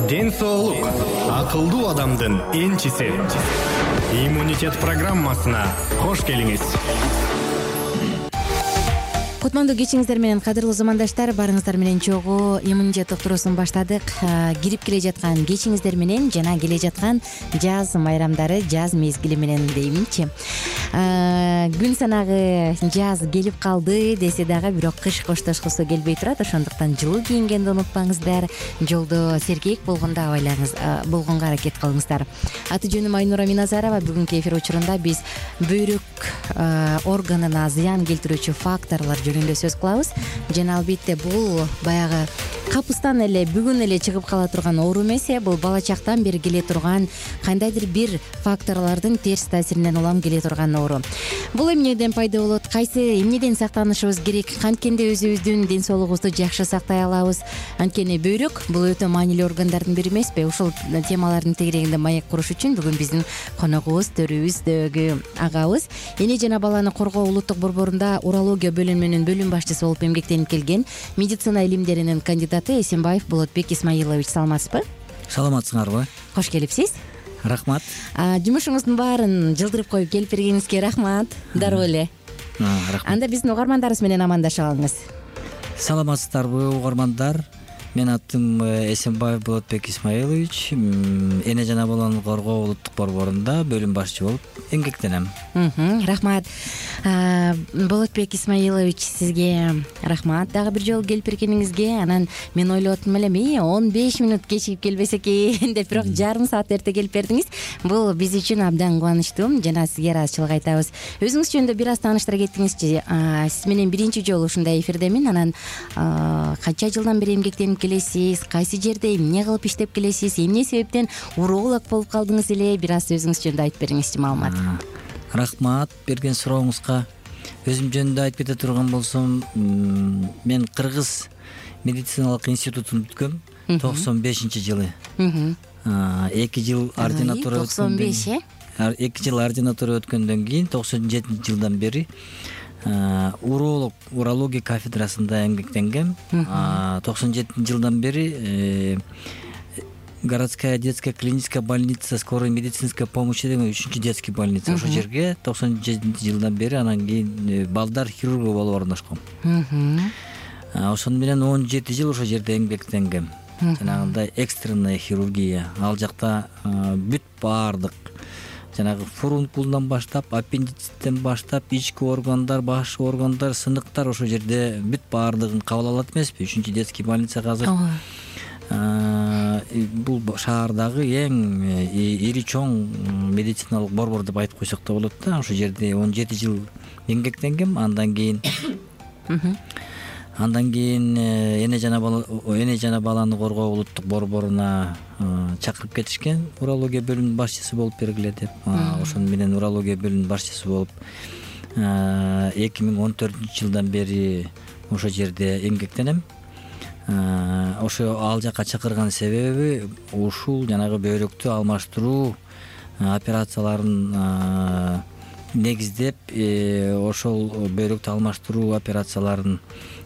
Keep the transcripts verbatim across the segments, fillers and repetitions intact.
Ден соолук акылдуу адамдын энчиси. Иммунитет программасына кош келиңиз. Кутмандуу кечиңиздер менен, кадырлуу замандаштар, барыңыздар менен чогуу иммунитет доктурусун баштадык. Кирип келе жаткан кечиңиздер менен жана келе жаткан жаз майрамдары, жаз мезгили менен дейминчи. Күн санагы жаз келип калды десе дагы, бирок кыш коштошкусу келбей турат. Ошондуктан жылуу кийингенди унутпаңыздар. Жолдо сергек болгондо абайлаңыз, болгонго аракет кылыңыздар. Аты жөнүм Айнура Миназарова. Бүгүнкү эфир учурунда биз бөйрөк органына зыян келтирүүчү факторлор жөнүндө сөз кылабыз. Жана албетте бул баягы капыстан эле бүгүн эле чыгып кала турган оору эмес, бул бала чактан бери келе турган кандайдыр бир факторлордун терс таасиринен улам келе турган оору. Бул эмнеден пайда болот, кайсы эмнеден сактанышыбыз керек, канткенде өзүбүздүн ден соолугубузду жакшы сактай алабыз. Анткени бөйрөк бул өтө маанилүү органдардын бири эмеспи? Ушул темалардын тегерегинде маек куруш үчүн бүгүн биздин коногубуз, төрүбүздөгү агабыз эне жана баланы коргоо улуттук борборунда урология бөлүмүнүн бөлүм башчысы болуп эмгектенип келген медицина илимдеринин кандидаты Эсенбаев Болотбек Исмаилович. Саламатсызбы? Саламатсыңарбы? Кош келипсиз. Рахмат. Жумушуңуздун баарын жылдырып коюп келип бергениңизге рахмат. Дароо эле. Рахмат. Анда биздин угармандарыбыз менен амандашып алыңыз. Саламатсыздарбы, угармандар? Мен атым Эсенбаев Болотбек Исмаилович, эне жана баланы коргоо улуттук борборунда бөлүм башчы болуп эмгектенем. Рахмат. Болотбек Исмаилович, сизге рахмат дагы бир жолу келип бергениңизге. Анан мен ойлоп аттым элем, и он беш мүнөт кечигип келбесе экен деп, бирок жарым саат эрте келип бердиңиз. Бул биз үчүн абдан кубанычтуу. Жана сизге ыраазычылык айтабыз. Өзүңүз жөнүндө бир аз тааныштыра кетиңизчи. Сиз менен биринчи жолу ушундай эфирдемин. Анан канча жылдан бери эмгектенип келесиз, кайсы жерде эмне кылып иштеп келесиз, эмне себептен уролог болуп калдыңыз эле, бир аз өзүңүз жөнүндө айтып бериңизчи маалымат. Рахмат берген сурооңузга. Өзүм жөнүндө айтып кете турган болсом, мен Кыргыз медициналык институтун бүткөм токсон бешинчи жылы. эки жыл ординатура токсон беш э? эки жыл ординатура өткөндөн кийин токсон жетинчи жылдан бери уролог, урология кафедрасында эмгектенгем. токсон жетинчи жылдан бери городская детская клиническая больница скорой медицинской помощи деген үчүнчү детский больница, ошол жерге токсон жетинчи жылдан бери анан кийин балдар хирургу болуп орношком. Ошону менен он жети жыл ошол жерде эмгектенгем. Жанагындай экстренная хирургия. Ал жакта бүт баардык жанагы фурункулдан баштап, аппендициттен баштап, ички органдар, баш органдар, сыныктар ошол жерде бүт баардыгын кабыл алат эмеспи? үчүнчү детский больница азыр бул шаардагы эң ири чоң медициналык борбор деп айтып койсок да болот да. Ошол жерде он жети жыл эмгектенгем. Андан кийин Андан кийин эне жана бала эне жана баланы коргоо улуттук борборуна чакырып кетишкен, урология бөлүмүнүн башчысы болуп бергиле деп. Ошону менен урология бөлүмүнүн башчысы болуп эки миң он төртүнчү жылдан бери ошол жерде эмгектенем. Ошо ал жака чакырган себеби ушул жанагы бөйрөктү алмаштыруу операцияларын негиздеп, ошол бөйрөктү алмаштыруу операцияларын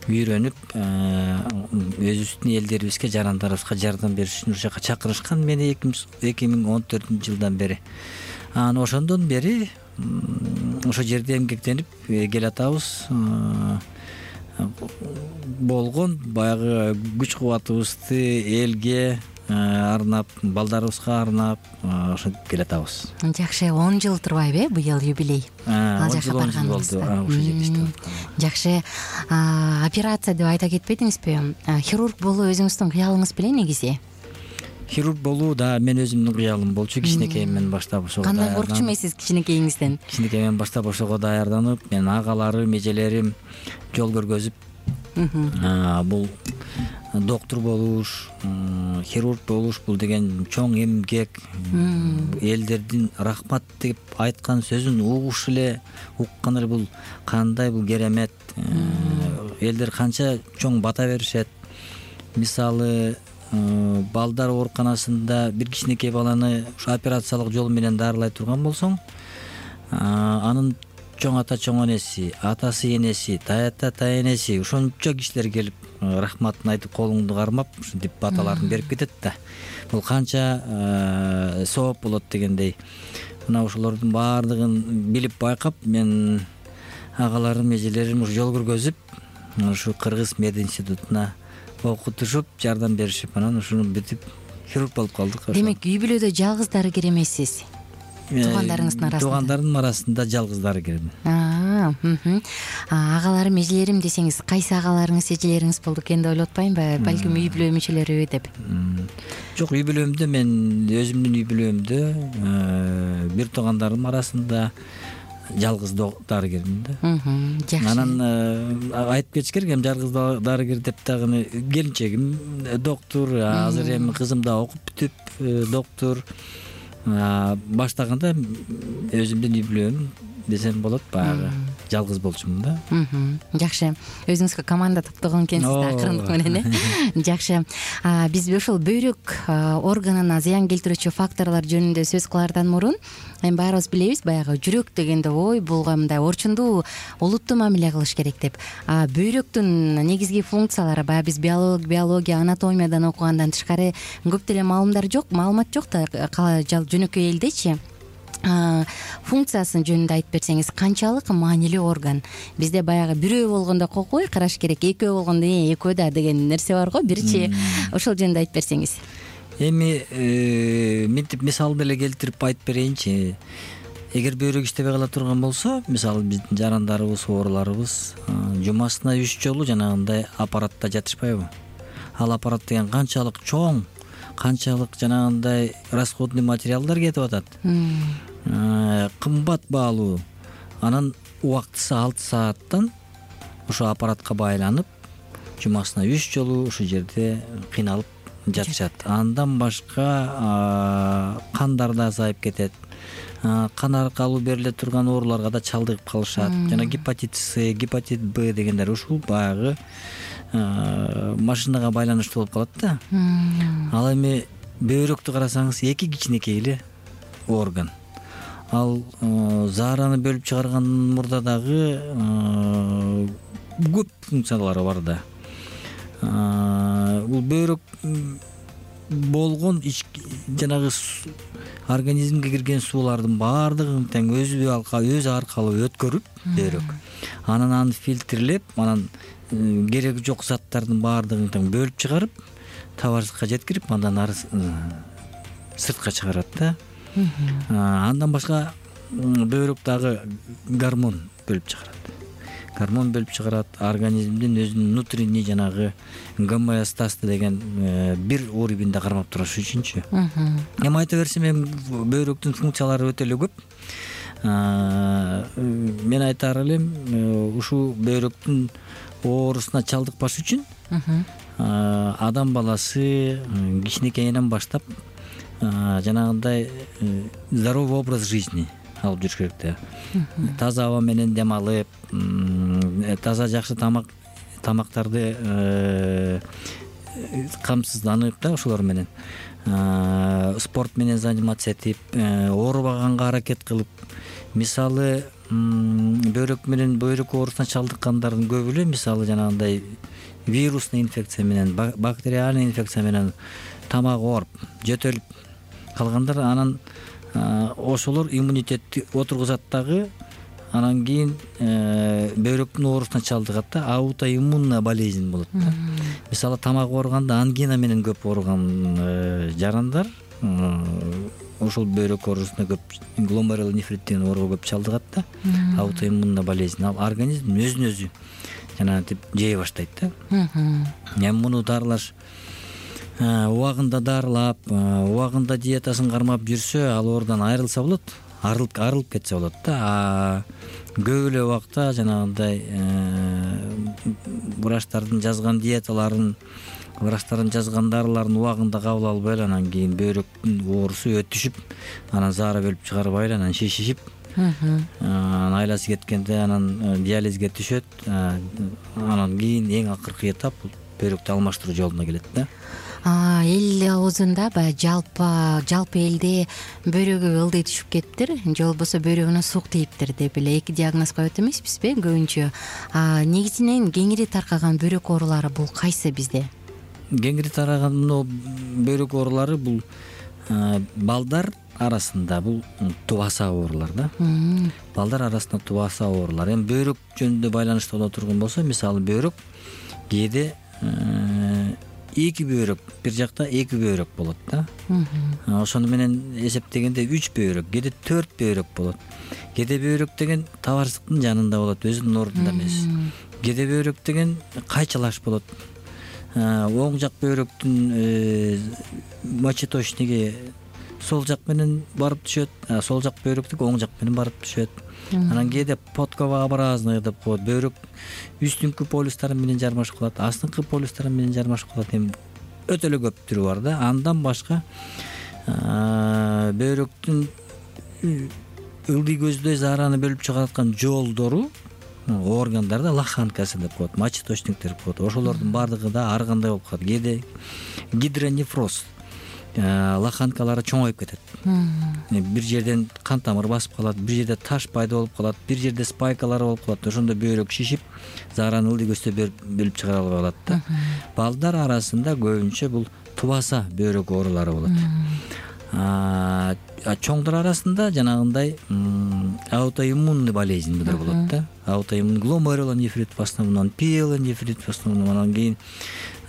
үйрөнүп, өзүбүздүн элдерибизге, жарандарыбызга жардам бериш үчүн ошол жака чакырышкан мени эки миң он төртүнчү жылдан бери. Анан ошондон бери ошол жерде эмгектенип келатабыз. Болгон баягы күч кубатыбызды элге арнап, балдарыбызга арнап ошентип келатабыз. Жакшы, он жыл турбайбы э, быйыл юбилей? Ал жака барганыңызда. Ошол жерде иштеп. Жакшы. Операция деп айта кетпедиңизби? Хирург болуу өзүңүздүн кыялыңыз беле негизи? Хирург болуу да мен өзүмдүн кыялым болчу. Кичинекейимден баштап ошого кандай коркчу эмессиз кичинекейиңизден? Кичинекейимден баштап ошого даярданып, мен агаларым, эжелерим жол көргөзүп, бул доктор болуш, хирург болуш бул деген чоң эмгек. Элдердин рахмат деп айткан сөзүн угуш эле, уккан эле бул кандай бул керемет. Элдер канча чоң бата беришет. Мисалы, балдар ооруканасында бир кичинекей баланы ушу операциялык жол менен дарылай турган болсоң, анын чоң ата чоң энеси, атасы энеси, таята таенеси ошончо кишилер келип рахматын айтып колуңду кармап ушинтип баталарын берип кетет да. Бул канча сооп болот дегендей. Мына ошолордун баардыгын билип байкап, мен агаларым, эжелерим ушу жол көргөзүп, ушу Кыргыз мед институтуна окутушуп, жардам беришип, анан ушуну бүтүп хирург болуп калдык. Демек, үй бүлөдө жалгыз дарыгер эмессиз. Туугандарыңыздын арасында. Туугандардын арасында жалгыз дарыгермин. Агаларым, эжелерим десеңиз, кайсы агаларыңыз, эжелериңиз болду экен деп ойлоп атпаймынбы? Балким үй бүлө мүчөлөрү деп. Жок, үй бүлөмдө мен өзүмдүн үй бүлөмдө бир туугандарым арасында жалгыз дарыгермин да. Жакшы. Анан айтып кетиш керек, эми жалгыз дарыгер деп дагы келинчегим доктор, азыр эми кызым да окуп бүтүп доктор. Баштаганда өзүмдүн үй бүлөм десем болот, баягы жалгыз болчумун да. Жакшы. Өзүңүзгө команда топтогон экенсиз да акырындык менен, э? Жакшы. Биз ошол бөйрөк органына зыян келтирүүчү факторлор жөнүндө сөз кылаардан мурун, эми баарыбыз билебиз, баягы жүрөк дегенде ой, бул мындай орчундуу, олуттуу мамиле кылыш керек деп. Бөйрөктүн негизги функциялары, баягы биз биология, анатомиядан окугандан тышкары көп деле маалымдар жок, маалымат жок да жөнөкөй элдечи. Функциясын жөнүндө айтып берсеңиз, канчалык маанилүү орган? Бизде баягы бирөө болгондо кокой караш керек, экөө болгондо экөө да деген нерсе бар го, бирчи. Ошол жөнүндө айтып берсеңиз. Эми мынтип мисал деле келтирип айтып берейинчи. Эгер бөйрөк иштебей кала турган болсо, мисалы биздин жарандарыбыз, ооруларыбыз жумасына үч жолу жанагындай аппаратта жатышпайбы? Ал аппарат деген канчалык чоң, канчалык жанагындай расходный материалдар кетип атат. Кымбат баалуу. Анан убактысы алты сааттан ошо аппаратка байланып, жумасына үч жолу ошол жерде кыйналып жатышат. Андан башка кандар да азайып кетет. Кан аркылуу бериле турган ооруларга да чалдыгып калышат. Жана гепатит С, гепатит Б дегендер ушул баягы машинага байланыштуу болуп калат да. Ал эми бөйрөктү карасаңыз, эки кичинекей эле орган. Ал заараны бөлүп чыгаргандан мурда дагы көп функциялары бар да. Бул бөйрөк болгон жанагы организмге кирген суулардын баардыгын тең өзү өзү аркылуу өткөрүп бөйрөк. Анан аны фильтрлеп, анан кереги жок заттардын баардыгын тең бөлүп чыгарып, табарсызга жеткирип, андан ары сыртка чыгарат да. Андан башка бөйрөк дагы гормон бөлүп чыгарат. Гормон бөлүп чыгарат, организмдин өзүнүн внутренний жанагы гомеостазды деген бир уровеньде кармап туруш үчүнчү. Эми айта берсем, эми бөйрөктүн функциялары өтө эле көп. Мен айтар элем, ушул бөйрөктүн оорусуна чалдыкпаш үчүн адам баласы кичинекейинен баштап жанагындай здоровый образ жизни алып жүрүш керек да. Таза аба менен дем алып, таза жакшы тамак тамактарды камсызданып да, ошолор менен спорт менен заниматься этип, оорубаганга аракет кылып, мисалы бөйрөк менен бөйрөк оорусуна чалдыккандардын көбү эле мисалы жанагындай вирусный инфекция менен, бактериальный инфекция менен тамак ооруп, жөтөлүп калгандар, анан ошолор иммунитетти отургузат дагы, анан кийин бөйрөктүн оорусуна чалдыгат да, аутоиммунная болезнь болот да. Мисалы тамак ооруганда ангина менен көп ооруган жарандар ошол бөйрөк оорусуна көп, гломерулонефрит нефрит деген ооруга көп чалдыгат да, аутоиммунная болезнь. Ал организм өзүн өзү жанагынтип жей баштайт да. Эми муну дарылаш убагында дарылап, убагында диетасын кармап жүрсө, ал оордан айрылса болот, арылып арылып кетсе болот да. Көп эле убакта жанагындай врачтардын жазган диеталарын, врачтардын жазган дарыларын убагында кабыл албай эле, анан кийин бөйрөктүн оорусу өтүшүп, анан заара бөлүп чыгарбай эле, анан шишишип, анан айласы кеткенде анан диализге түшөт, анан кийин эң акыркы этап бул бөйрөктү алмаштыруу жолуна келет да. эл оозунда баягы жалпы жалпы элде бөйрөгү ылдый түшүп кетиптир же болбосо бөйрөгүнө суук тийиптир деп эле эки диагноз коет эмеспизби көбүнчө. Негизинен кеңири таркаган бөйрөк оорулары бул кайсы бизде? Кеңири тараган мына бөйрөк оорулары бул балдар арасында бул тубаса оорулар да. Балдар арасында тубаса оорулар. Эми бөйрөк жөнүндө байланыштуу боло турган болсо, мисалы бөйрөк кээде эки бөйрөк, бир жакта эки бөйрөк болот да. Ошону менен эсептегенде үч бөйрөк, кээде төрт бөйрөк болот. Кээде бөйрөк деген табарсыктын жанында болот, өзүнүн ордунда эмес. Кээде бөйрөк деген кайчалаш болот. Оң жак бөйрөктүн мочеточниги сол жак менен барып түшөт, сол жак бөйрөктүк оң жак менен барып түшөт. Анан кээде подковообразный деп коет. Бөйрөк үстүңкү полюстары менен жармашып калат, астыңкы полюстары менен жармашып калат. Эми өтө эле көп түрү бар да. Андан башка бөйрөктүн ылдый көздөй заараны бөлүп чыгараткан жолдору, органдарда лоханкасы деп коет, мочеточниктер деп коет. Ошолордун бардыгы да ар кандай болуп калат. Кээде гидронефроз, лоханкалары чоңоюп кетет. Бир жерден кан тамыр басып калат, бир жерде таш пайда болуп калат, бир жерде спайкалар болуп калат. Ошондо бөйрөк шишип, заараны ылдый көздөй бөлүп чыгара албай калат да. Балдар арасында көбүнчө бул тубаса бөйрөк оорулары болот. Чоңдор арасында жанагындай аутоиммунный болезньдер болот да. Аутоиммунный гломерулонефрит в основном, пиелонефрит в основном, анан кийин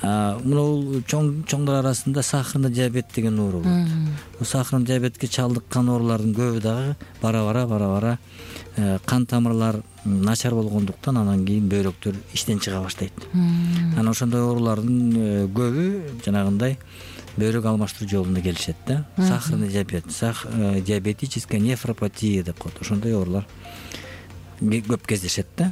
мына чоңдор арасында сахарный диабет деген оору болот. Бул сахарный диабетке чалдыккан оорулардын көбү дагы бара-бара бара-бара кан тамырлар начар болгондуктан анан кийин бөйрөктөр иштен чыга баштайт. Анан ошондой оорулардын көбү жанагындай бөйрөк алмаштыруу жолунда келишет да. Сахарный диабет, диабетическая нефропатия деп коет. Ошондой оорулар көп кездешет да.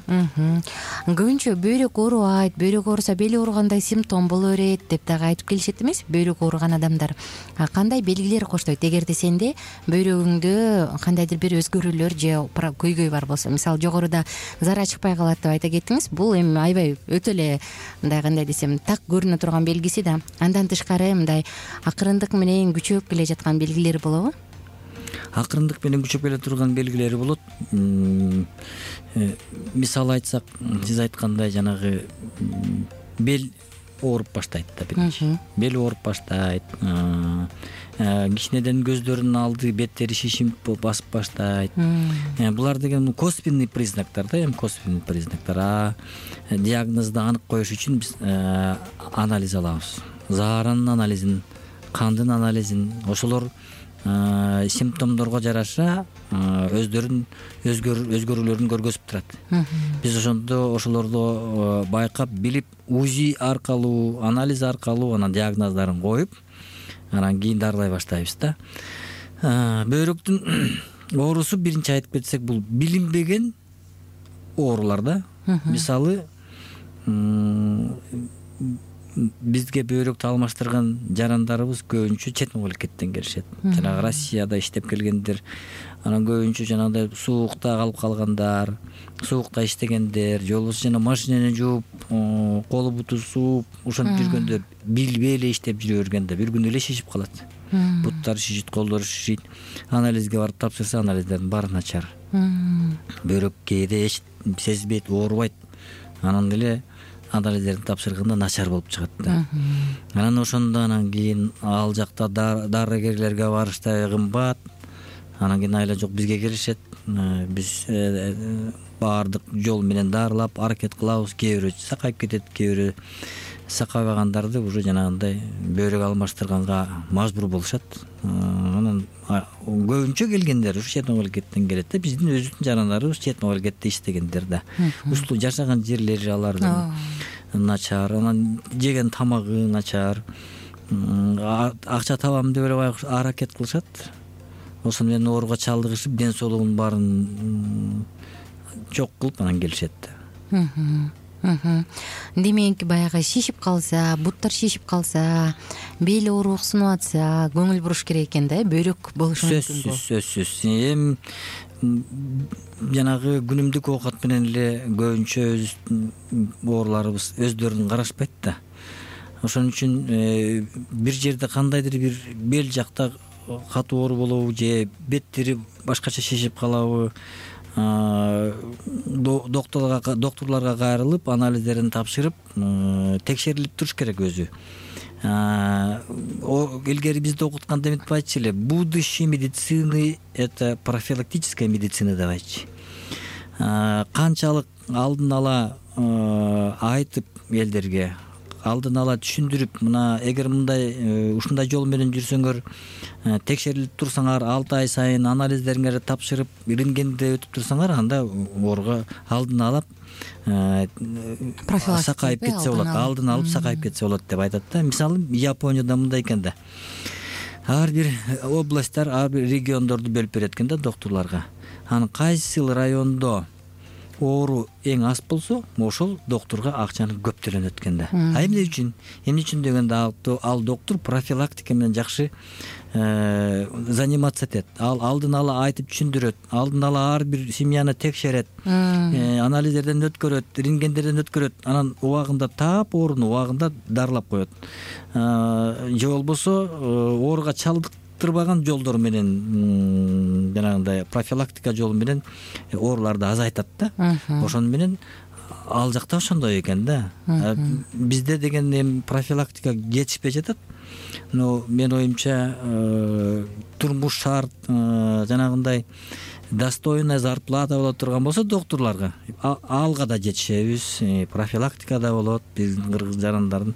Көбүнчө бөйрөк оорубайт, бөйрөк ооруса бели ооругандай симптом боло берет деп дагы айтып келишет эмес бөйрөк ооруган адамдар. Кандай белгилер коштойт? Эгерде сенде бөйрөгүңдө кандайдыр бир өзгөрүүлөр же көйгөй бар болсо, мисалы жогоруда зара чыкпай калат деп айта кеттиңиз, бул эми аябай өтө эле мындай кандай десем так көрүнө турган белгиси да. Андан тышкары мындай акырындык менен күчөп келе жаткан белгилери болобу? Акырындык менен күчөп келе турган белгилери болот. Мисалы айтсак, сиз айткандай жанагы бел ооруп баштайт да биринчи. Бел ооруп баштайт. Кичинеден көздөрүнүн алды, беттери шишип басып баштайт. Булар деген косвенный признактар да, эми косвенный признактар. А диагнозду анык коюш үчүн биз анализ алабыз. Зааранын анализин, кандын анализин, ошолор симптомдорго жараша өздөрүн өзгөрүүлөрүн көргөзүп турат. Биз ошондо ошолорду байкап билип, УЗИ аркылуу, анализ аркылуу анан диагноздорун коюп, анан кийин дарылай баштайбыз да. Бөйрөктүн оорусу биринчи айтып кетсек, бул билинбеген оорулар да. Мисалы бизге бөйрөктү алмаштырган жарандарыбыз көбүнчө чет мамлекеттен келишет. Жанагы Россияда иштеп келгендер, анан көбүнчө жанагындай суукта калып калгандар, суукта иштегендер, же болбосо жана машинени жууп, колу буту сууп, ошентип жүргөндө билбей эле иштеп жүрө бергенде бир күнү эле шишип калат. Буттары шишит, колдору шишит. Анализге барып тапшырса, анализдердин баары начар. Бөйрөк кээде эч сезбейт, оорубайт. Анан эле анализдерди тапшырганда начар болуп чыгат да. Анан ошондо анан кийин ал жакта дарыгерлерге барыштай кымбат. Анан кийин айла жок бизге келишет. Биз баардык жол менен дарылап аракет кылабыз. Кээ бирөө сакайып кетет, кээ бирөө сакайбагандарды уже жанагындай бөйрөк алмаштырганга мажбур болушат. Анан көбүнчө келгендер ушу чет мамлекеттен келет да. Биздин өзүбүздүн жарандарыбыз чет мамлекетте иштегендер да. Ушул жашаган жерлери алардын начар, анан жеген тамагы начар, акча табам деп эле аракет кылышат. Ошону менен ооруга чалдыгышып, ден соолугунун баарын жок кылып анан келишет да. Демек баягы шишип калса, буттар шишип калса, бел оорук сунуп атса, көңүл буруш керек экен да, бөйрөк болушу мүмкүн. Сөзсүз, сөзсүз. Эми жанагы күнүмдүк оокат менен эле көбүнчө ооруларыбыз өздөрүн карашпайт да. ошон үчүн бир жерде кандайдыр бир бел жакта катуу оору болобу же беттери башкача шишип калабы, доктурларга доктурларга кайрылып анализдерин тапшырып текшерилип туруш керек өзү. Илгери бизде окутканда эмитип айтчу эле, будущее медицины — это профилактическая медицина деп айтчу. Канчалык алдын ала айтып элдерге, алдын ала түшүндүрүп, мына эгер мындай ушундай жол менен жүрсөңөр, текшерилип турсаңар, алты ай сайын анализдериңерди тапшырып, рентгенде өтүп турсаңар, анда ооруга алдын алып сакайып кетсе болот, алдын алып сакайып кетсе болот деп айтат да. Мисалы, Японияда мындай экен да. Ар бир областтар, ар бир региондорду бөлүп берет экен да доктурларга. Анан кайсы райондо оору эң аз болсо, ошол доктурга акчаны көп төлөнөт экен да. А эмне үчүн? Эмне үчүн дегенде ал доктур профилактика менен жакшы заниматься этет. Ал алдын ала айтып түшүндүрөт, алдын ала ар бир семьяны текшерет, анализдерден өткөрөт, рентгендерден өткөрөт, анан убагында таап ооруну убагында дарылап коет. Же болбосо ооруга чалдыктырбаган жолдор менен, жанагындай профилактика жолу менен ооруларды азайтат да. Ошон менен ал жакта ошондой экен да. Бизде деген эми профилактика жетишпей жатат. Но мен оюмча турмуш шарт, жанагындай достойная зарплата боло турган болсо доктурларга, алга да жетишебиз, профилактика да болот. Биздин кыргыз жарандардын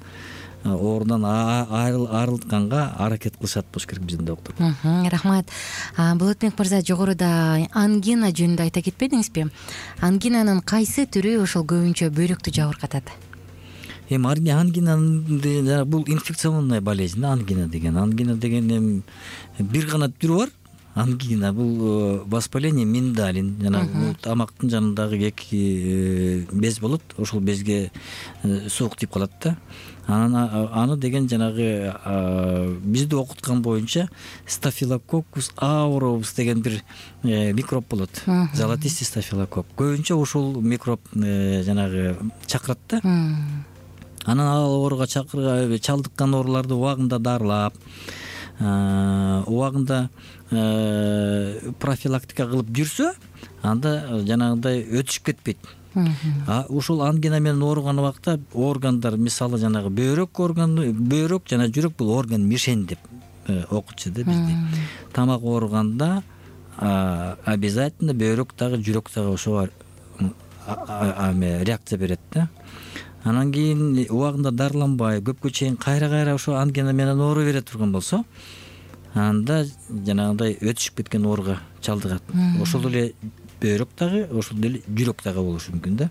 оорудан арылтканга аракет кылышат болуш керек биздин доктур. Рахмат. Болотбек мырза, жогоруда ангина жөнүндө айта кетпедиңизби? Ангинанын кайсы түрү ошол көбүнчө бөйрөктү жабыркатат? Эми ангина бул инфекционная болезнь, ангина деген. Ангина деген эми бир гана түрү бар. Ангина бул воспаление миндалин, жана бул тамактын жанындагы эки без болот, ошол безге суук тип калат да. Анан аны деген жанагы бизде окуткан боюнча стафилококкус ауреус деген бир микроб болот. Золотистый стафилококк. Көбүнчө ошол микроб жанагы чакырат да. Анан ал ооруга чалдыккан ооруларды убагында дарылап, убагында профилактика кылып жүрсө, анда жанагындай өтүшүп кетпейт. А ушул ангина менен ооруган убакта органдар, мисалы жанагы бөйрөк органы, бөйрөк жана жүрөк бул орган мишень деп окутчу да бизде. Тамак ооруганда обязательно бөйрөк дагы жүрөк дагы ошого реакция берет да. Анан кийин убагында дарыланбай, көпкө чейин кайра-кайра ошо ангина менен оору бере турган болсо, анда жанагындай өтүшүп кеткен ооруга чалдыгат. Ошол эле бөйрөк дагы, ошол эле жүрөк дагы болушу мүмкүн да.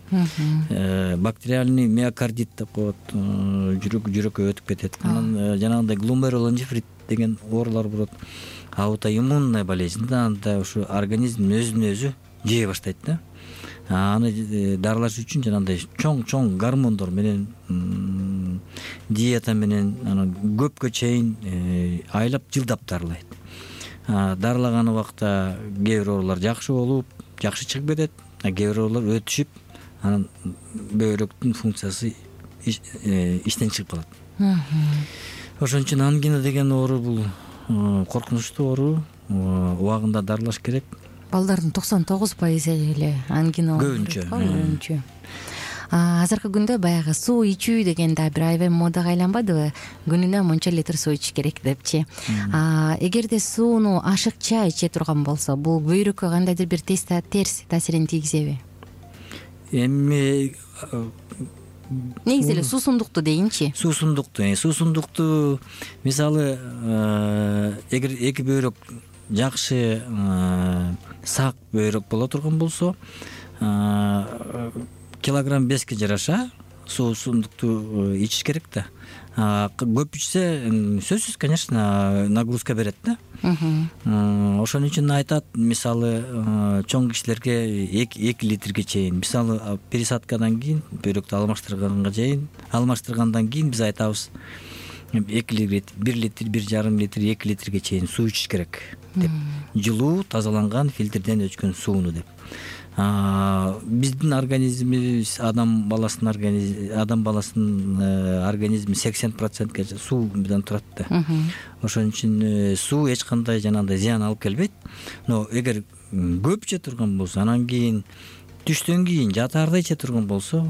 Бактериальный миокардит деп коет, жүрөк жүрөккө өтүп кетет. Анан жанагындай гломерулонефрит деген оорулар болот. Аутоиммунная болезнь да, анда ошо организм өзүн өзү жей баштайт да. Аны дарылаш үчүн жанагындай чоң-чоң гормондор менен, диета менен, анан көпкө чейин айлап, жылдап дарылайт. Дарылаган убакта кээ бир оорулар жакшы болуп, жакшы чыгып кетет, кээ бир оорулар өтүшүп, анан бөйрөктүн функциясы иштен чыгып калат. Ошон үчүн ангина деген оору бул коркунучтуу оору, убагында дарылаш керек. Балдардын токсон тогуз пайызы эле ангина көбүнчө. Азыркы күндө баягы суу ичүү деген да бир аябай модага айланбадыбы? Күнүнө мынча литр суу ичиш керек депчи. Эгерде сууну ашыкча иче турган болсо, бул бөйрөккө кандайдыр бир терс таасирин тийгизеби? Эми негизи эле суусундукту дейинчи. Суусундукту, суусундукту мисалы эгер эки бөйрөк жакшы сак бөйрөк боло турган болсо, килограмм беске жараша суусундукту ичиш керек да. Көп ичсе, сөзсүз, конечно, нагрузка берет да. Ошон үчүн айтат, мисалы, чоң кишилерге эки литрге чейин, мисалы, пересадкадан кийин, бөйрөктү алмаштырганга чейин, алмаштыргандан кийин биз айтабыз, эки литр, бир литр, бир жарым литр, эки литрге чейин суу ичиш керек деп. Жылуу, тазаланган фильтрден өчкөн сууну деп. биздин организмибиз адам баласынын организми адам баласынын организми сексен процентке суу менен турат да. Ошон үчүн суу эч кандай жанагындай зыян алып келбейт. Но эгер көп иче турган болсо, анан кийин түштөн кийин жатаарда иче турган болсо,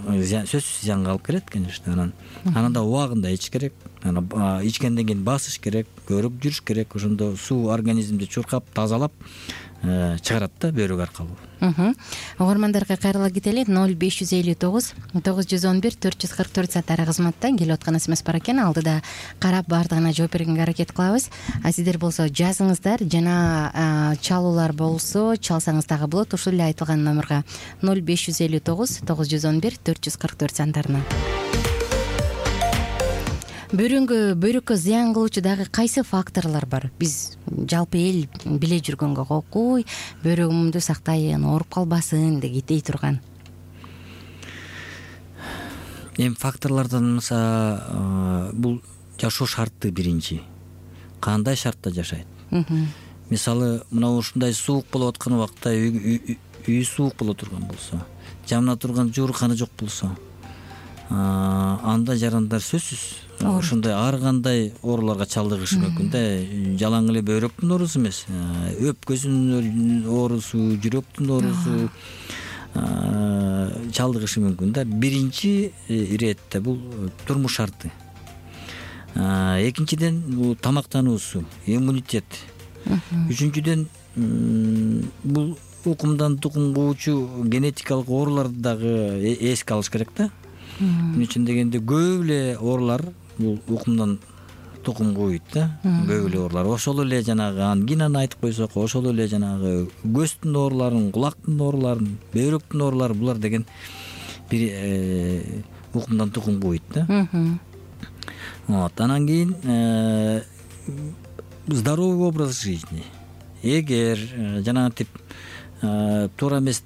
сөзсүз зыянга алып келет, конечно. Анан анан да убагында ич керек. Анан ичкенден кийин басыш керек, көрүп жүрүш керек. Ошондо суу организмди чуркап, тазалап чыгарат да бөйрөк аркылуу. Угармандарга кайрыла кетели. ноль беш жүз элүү тогуз тогуз жүз он бир төрт жүз кырк төрт саттары кызматта келип аткан смс бар экен. Алдыда карап баардыгына жооп бергенге аракет кылабыз. А сиздер болсо жазыңыздар, жана чалуулар болсо чалсаңыз дагы болот. Ушул эле айтылган номерге ноль беш жүз элүү тогуз тогуз жүз он бир төрт жүз кырк төрт сандарына. Бөйрөнгө бөйрөккө зыян кылуучу дагы кайсы факторлор бар? Биз жалпы эл биле жүргөнгө окуй, бөйрөгүмдү сактайын, ооруп калбасын дей турган. Эми факторлордон мисалы бул жашоо шарты биринчи. Кандай шартта жашайт? Мисалы мына ушундай суук болуп аткан убакта үй суук боло турган болсо, жамына турган жуурканы жок болсо, анда жарандар сөзсүз ошондой ар кандай ооруларга чалдыгышы мүмкүн да. Жалаң эле бөйрөктүн оорусу эмес, өпкөсүнүн оорусу, жүрөктүн оорусу чалдыгышы мүмкүн да. Биринчи иретте бул турмуш шарты. Экинчиден бул тамактануусу, иммунитет. Үчүнчүдөн бул укумдан тукумгуучу генетикалык ооруларды дагы эске алыш керек да. Мун үчүн дегенде көп эле оорулар бул укумдан тукумгуйт да. Көп эле оорулар. Ошол эле жанагы ангинаны айтып койсок, ошол эле жанагы көздүн ооруларын, кулактын ооруларын, бөйрөктүн оорулары, булар деген бир укумдан тукумгуйт да. Вот, анан кийин здоровый образ жизни. Эгер жанагынтип туура эмес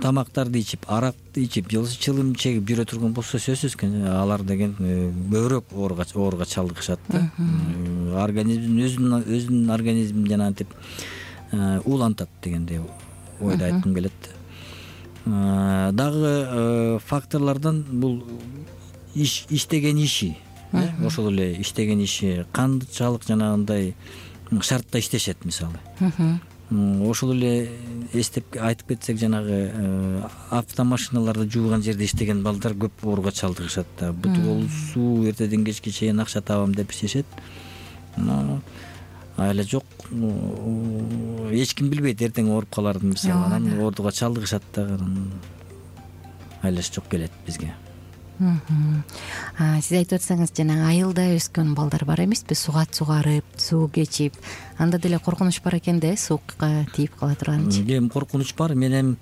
тамактарды ичип, аракты ичип, чылым чегип жүрө турган болсо, сөзсүз алар деген көбүрөөк ооруга чалдыгышат да. Организм өзүнүн өзүнүн организмин жанагынтип уулантат дегендей ойду айткым келет. Дагы факторлордон бул иштеген иши, ошол эле иштеген иши канчалык жанагындай шартта иштешет мисалы. Ошол эле эстеп айтып кетсек, жанагы автомашиналарды жууган жерде иштеген балдар көп ооруга чалдыгышат да. Бут болсу эртеден кечке чейин акча табам деп иштешет. Айла жок, эч ким билбейт эртең ооруп каларын мисалы. Анан ооруга чалдыгышат да. Айлаш жок келет бизге. Сиз айтып атсаңыз, жана айылда өскөн балдар бар эмеспи? Сугат сугарып, суу кечип, анда деле коркунуч бар экен да, суукка тийип кала турганчы. Эми коркунуч бар. Мен эми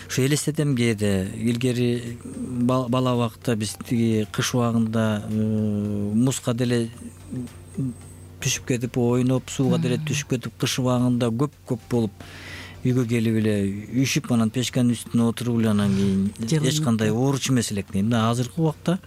ушу элестетем кээде. Илгери бала убакта биз тиги кыш убагында музга деле түшүп кетип, ойноп, сууга деле түшүп кетип, кыш убагында көп-көп болуп үйгө келип эле үйшүп, анан печканын үстүнө отуруп эле анан кийин эч кандай ооручу эмес элек. Мына азыркы убакта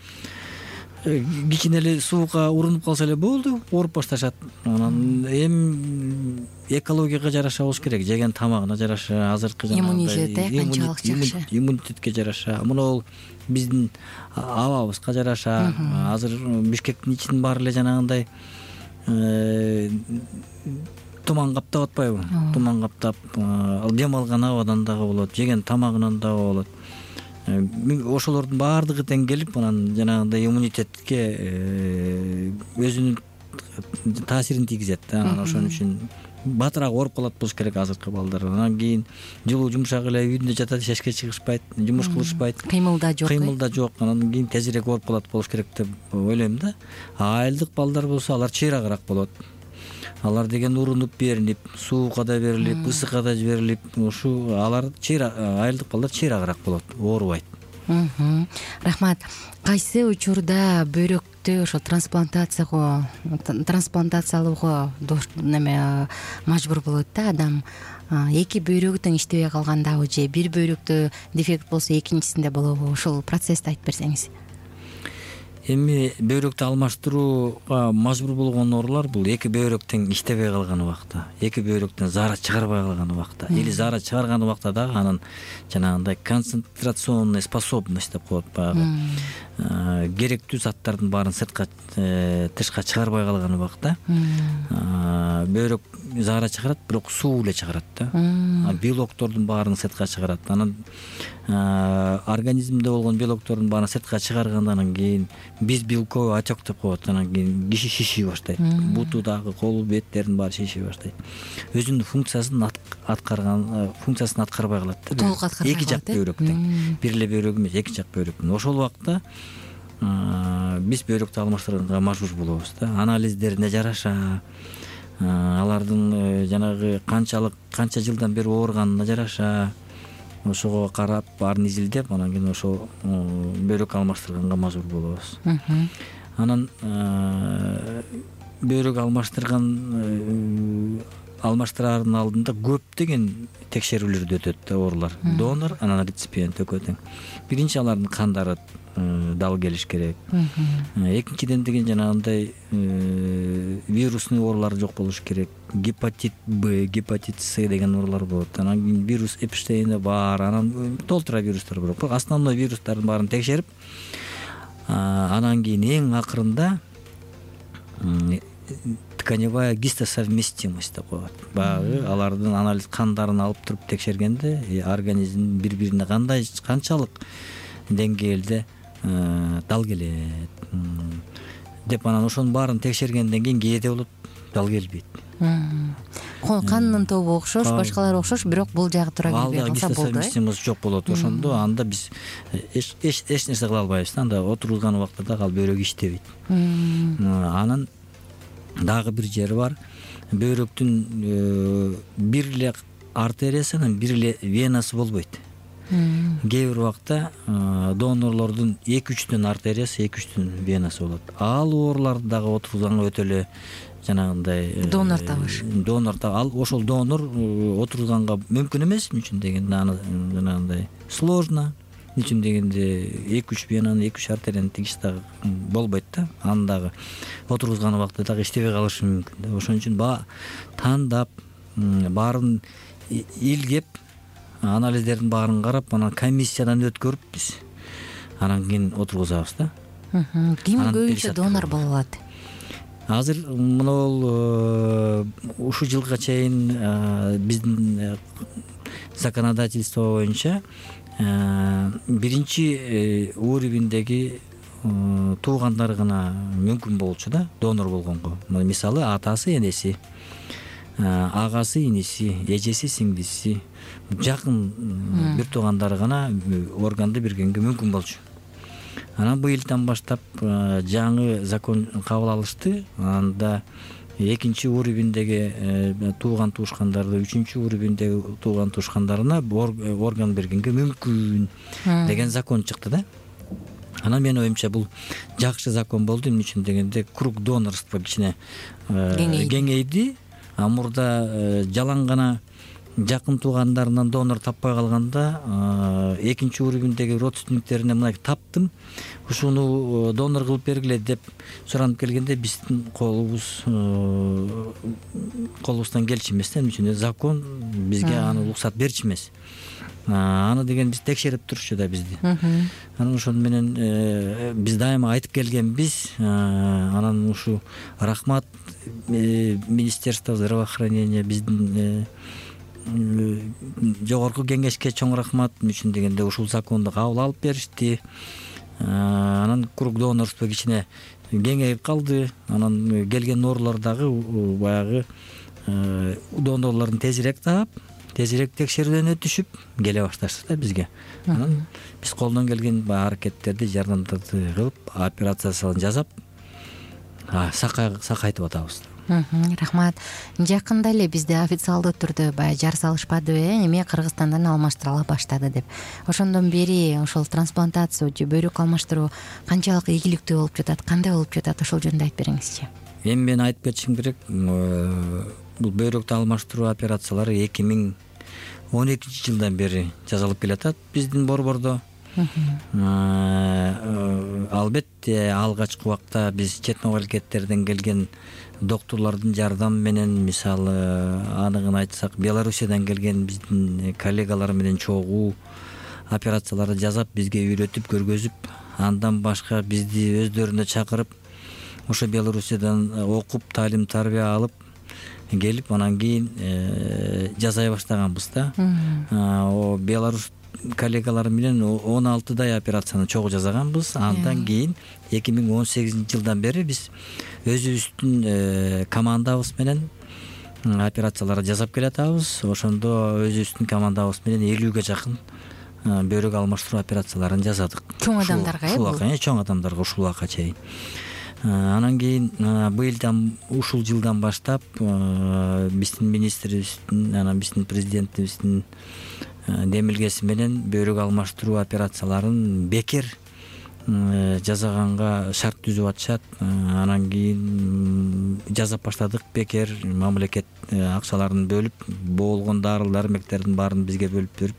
кичине эле суукка урунуп калса эле болду, ооруп башташат. Анан эми экологияга жараша болуш керек, жеген тамагына жараша, азыркы иммунитет канчалык жакшы, иммунитетке жараша. Мына биздин абабызга жараша. Азыр Бишкектин ичинин баары эле жанагындай туман каптап атпайбы? Туман каптап, дем алган абадан дагы болот, жеген тамагынан дагы болот. Ошолордун баардыгы тең келип, анан жанагындай иммунитетке өзүнүн таасирин тийгизет да. Анан ошон үчүн батыраак ооруп калат болуш керек азыркы балдар. Анан кийин жылуу жумшак эле үйдүндө жатат, эшикке чыгышпайт, жумуш кылышпайт. Кыймылда жок. Кыймылда жок. Анан кийин тезирээк ооруп калат болуш керек деп ойлойм да. Айылдык балдар болсо, алар чыйрагыраак болот. Алар деген урунуп беринип, суукка да берилип, ысыкка да жиберилип, ушу алар айылдык балдар чыйрагыраак болот, оорубайт. Рахмат. Кайсы учурда бөйрөктү ошо трансплантацияга трансплантациялоого неме мажбур болот да адам? Эки бөйрөгү тең иштебей калгандабы же бир бөйрөктө дефект болсо экинчисинде болобу? Ошол процессти айтып берсеңиз. Эми бөйрөктү алмаштырууга мажбур болгон оорулар бул эки бөйрөк тең иштебей калган убакта, эки бөйрөктөн заара чыгарбай калган убакта или заара чыгарган убакта дагы анын жанагындай концентрационная способность деп коет, баягы керектүү заттардын баарын сыртка тышка чыгарбай калган убакта бөйрөк заара чыгарат, бирок суу эле чыгарат да. Белоктордун баарын сыртка чыгарат. Анан организмде болгон белоктордун баарын сыртка чыгаргандан кийин биз белковый отек деп коет. Анан кийин киши шишип баштайт. Буту дагы, колу, беттердин баары шишип баштайт. Өзүнүн функциясын аткарган, функциясын аткарбай калат да. Толук аткарбай калат. Эки жак бөйрөктөн. Бир эле бөйрөк эмес, эки жак бөйрөктөн. Ошол убакта биз бөйрөктү алмаштырганга мажбур болобуз да. Анализдерине жараша, алардын жанагы канчалык канча жылдан бери ооруганына жараша ошого карап, баарын изилдеп, анан кийин ошо бөйрөк алмаштырганга мажбур болобуз. Анан бөйрөк алмаштырган алмаштырардын алдында көптөгөн текшерүүлөрдү өтөт да оорулар. Донор, анан реципиент экөө тең. Биринчи алардын кандары дал келиш керек. Экинчиден деген жанагындай вирусный оорулар жок болуш керек. Гепатит Б, гепатит С деген оорулар болот. Анан кийин вирус Эпштейна бар, анан толтура вирустар бар. Бирок основной вирустардын баарын текшерип, анан кийин эң акырында тканевая гистосовместимость деп коет. Баягы алардын анализ кандарын алып туруп текшергенде организм бири-бирине кандай канчалык деңгээлде дал келет деп, анан ошонун баарын текшергенден кийин кээде болот дал келбейт. Кандын тобу окшош, башкалары окшош, бирок бул жагы туура келбей калса болду. Гистосовместимость жок болот. Ошондо анда биз эч эч нерсе кыла албайбыз да. Анда отурулган убакта дагы ал бөйрөк иштебейт. Анан дагы бир жери бар. Бөйрөктүн бир эле артериясы, анан бир эле венасы болбойт. Кээ бир убакта донорлордун эки үчтөн артериясы, эки үчтөн венасы болот. Ал ооруларды дагы отурулганга өтө эле жанагындай донор табыш. Донор таб. Ал ошол донор отурулганга мүмкүн эмес, үчүн дегенде аны жанагындай сложно. Үчүн дегенде эки үч венаны, эки үч артерияны тигиш дагы болбойт да. Аны дагы отургузган убакта дагы иштебей калышы мүмкүн да. Ошон үчүн ба тандап, баарын илгеп, анализдердин баарын карап, анан комиссиядан өткөрүп биз анан кийин отургузабыз да. Ким көбүнчө донор боло алат? Азыр могул ушу жылга чейин биздин законодательство боюнча биринчи уровеньдеги туугандары гана мүмкүн болчу да донор болгонго. Мисалы атасы, энеси, агасы, иниси, эжеси, сиңдиси, жакын бир туугандары гана органды бергенге мүмкүн болчу. Анан быйылдан баштап жаңы закон кабыл алышты. Анда экинчи уровеньдеги тууган туушкандарды үчүнчү уровеньдеги тууган туушкандарына орган бергенге мүмкүн деген закон чыкты да. Анан менин оюмча бул жакшы закон болду. Эмне үчүн дегенде круг донорство кичине кеңейди. А мурда жалаң гана жакын туугандарынан донор таппай калганда экинчи уровеньдеги родственниктерине мына таптым, ушуну донор кылып бергиле деп суранып келгенде биздин колубуз колубуздан келчү эмес да. Эмне үчүн закон бизге аны уруксат берчү эмес. Аны деген биз текшерип турчу да бизди. Анан ошон менен биз дайыма айтып келгенбиз. Анан ушу рахмат Министерство здравоохранения, биздин жогорку кеңешке чоң рахмат. Эмне үчүн дегенде ушул законду кабыл алып беришти. Анан круг донорство кичине кеңейип калды. Анан келген оорулар дагы баягы донорлордун тезирээк таап, тезирээк текшерүүдөн өтүшүп келе башташты да бизге. Анан биз колдон келген аракеттерди, жардамдарды кылып, операциясын жасап, сакайтып атабыз. Рахмат. Жакында эле бизде официалдуу түрдө баягы жар салышпадыбы, эме Кыргызстандан алмаштырыла баштады деп. Ошондон бери ошол трансплантация же бөйрөк алмаштыруу канчалык ийгиликтүү болуп жатат, кандай болуп жатат, ошол жөнүндө айтып бериңизчи. Эми мен айтып кетишим керек, бул бөйрөктү алмаштыруу операциялары эки миң он экинчи жылдан бери жасалып келатат биздин борбордо. Албетте алгачкы убакта биз чет мамлекеттерден келген докторлордун жардамы менен, мисалы аныгын айтсак, Белоруссиядан келген биздин коллегалар менен чогуу операцияларды жасап, бизге үйрөтүп, көргөзүп, андан башка бизди өздөрүнө чакырып, ошо Белоруссиядан окуп, талим тарбия алып келип, анан кийин жасай баштаганбыз да. Беларусь коллегалар менен он алтыдай операцияны чогуу жасаганбыз. Андан кийин эки миң он сегизинчи жылдан бери биз өзүбүздүн командабыз менен операцияларды жасап келатабыз. Ошондо өзүбүздүн командабыз менен элүүгө жакын бөйрөк алмаштыруу операцияларын жасадык. Чоң адамдарга э? Ушул чоң адамдарга ушул убакка чейин. Анан кийин быйылдан, ушул жылдан баштап биздин министрибиздин, анан биздин президентибиздин демилгеси менен бөйрөк алмаштыруу операцияларын бекер жасаганга шарт түзүп атышат. Анан кийин жасап баштадык бекер, мамлекет акчаларын бөлүп, болгон дарыл дармектердин баарын бизге бөлүп берип,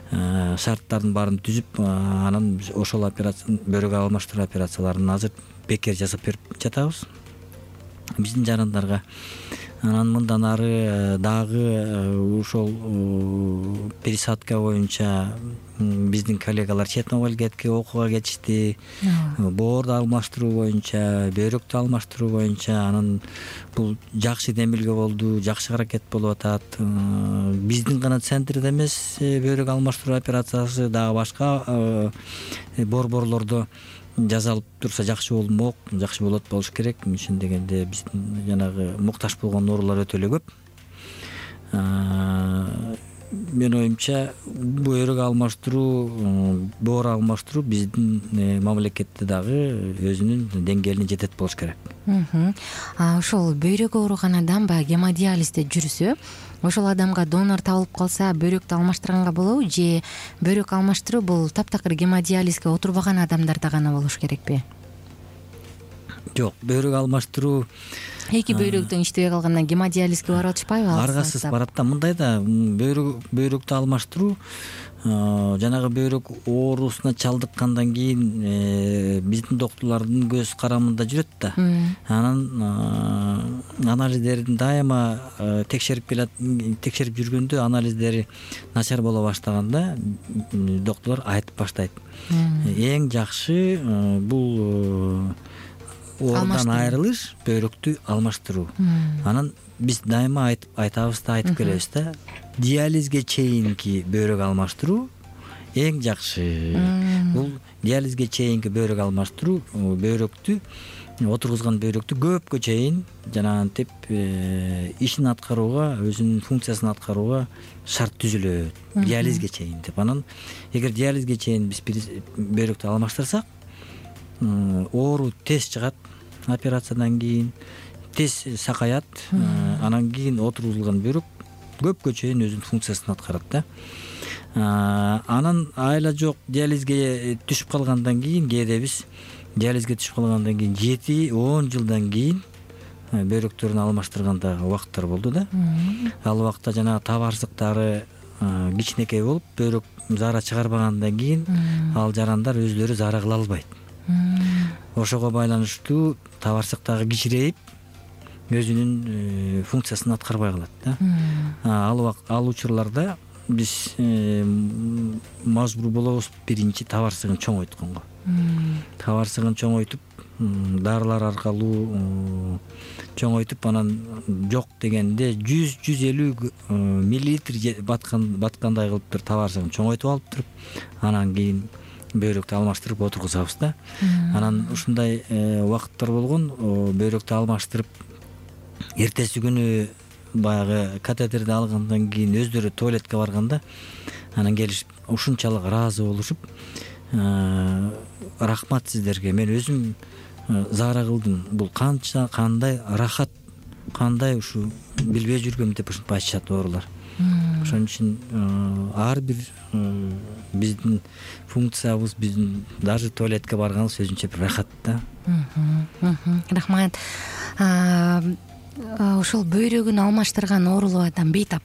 шарттардын баарын түзүп, анан ошол операция, бөйрөк алмаштыруу операцияларын азыр бекер жасап берип жатабыз биздин жарандарга. Анан мындан ары дагы ошол пересадка боюнча биздин коллегалар чет мамлекетке окууга кетишти. Боорду алмаштыруу боюнча, бөйрөктү алмаштыруу боюнча, анан бул жакшы демилге болду, жакшы аракет болуп атат. Биздин гана центрде эмес, бөйрөк алмаштыруу операциясы дагы башка борборлордо жасалып турса жакшы болмок, жакшы болот, болуш керек. Үчүн дегенде биздин жанагы муктаж болгон оорулар өтө эле көп. Мен оюмча бөйрөк алмаштыруу, боор алмаштыруу биздин мамлекетте дагы өзүнүн деңгээлине жетет болуш керек. Ошол бөйрөгү ооруган адам баягы гемодиализде жүрсө, ошол адамга донор табылып калса, бөйрөктү алмаштырганга болобу, же бөйрөк алмаштыруу бул таптакыр гемодиализге отурбаган адамдарда гана болуш керекпи? Жок, бөйрөк алмаштыруу эки бөйрөктөн иштебей калгандан гемодиализге барып атышпайбы? Аргасыз барат да. Мындай да, бөйрөк бөйрөктү алмаштыруу жанагы бөйрөк оорусуна чалдыккандан кийин биздин докторлордун көз карамында жүрөт да. Анан анализдерин дайыма текшерип келет, текшерип жүргөндө анализдери начар боло баштаганда докторлор айтып баштайт. Эң жакшы бул оорунан айрылыш, бөйрөктү алмаштыруу. Анан биз дайыма айтып айтабыз да, айтып келебиз да, диализге чейинки бөйрөк алмаштыруу эң жакшы. Бул диализге чейинки бөйрөк алмаштыруу бөйрөктү, отургузган бөйрөктү көпкө чейин жанагынтип ишин аткарууга, өзүнүн функциясын аткарууга шарт түзүлөт. Диализге чейин деп. Анан эгер диализге чейин биз бөйрөктү алмаштырсак, оору тез чыгат, операциядан кийин тез сакаят. Анан кийин отургузулган бөйрөк көпкө чейин өзүнүн функциясын аткарат да. Анан айла жок, диализге түшүп калгандан кийин, кээде биз диализге түшүп калгандан кийин жети он жылдан кийин бөйрөктөрүн алмаштырганда убакыттар болду да. Ал убакта жана табарсыктары кичинекей болуп, бөйрөк заара чыгарбагандан кийин ал жарандар өзлөрү заара кыла албайт. Ошого байланыштуу табарсыктагы кичирейип, өзүнүн функциясын аткарбай калат да. Ал убакыт, ал учурларда биз мажбур болобуз биринчи табарсыгын чоңойтконго. Табарсыгын чоңойтуп, дарылар аркылуу чоңойтуп, анан жок дегенде жүз жүз элүү миллилитр баткан баткандай кылып туруп табарсыгын чоңойтуп алып туруп, анан кийин бөйрөктү алмаштырып отургузабыз да. Анан ушундай убакыттар болгон, бөйрөктү алмаштырып эртеси күнү баягы катетерди алгандан кийин өздөрү туалетке барганда, анан келишип ушунчалык ыраазы болушуп, рахмат сиздерге, мен өзүм заара кылдым, бул канча кандай рахат, кандай ушу билбей жүргөм деп ушинтип айтышат оорулар. Ошон үчүн ар бир биздин функциябыз, биздин даже туалетке барганыбыз өзүнчө бир рахат да. Рахмат. Ошол бөйрөгүн алмаштырган оорулуу адам бейтап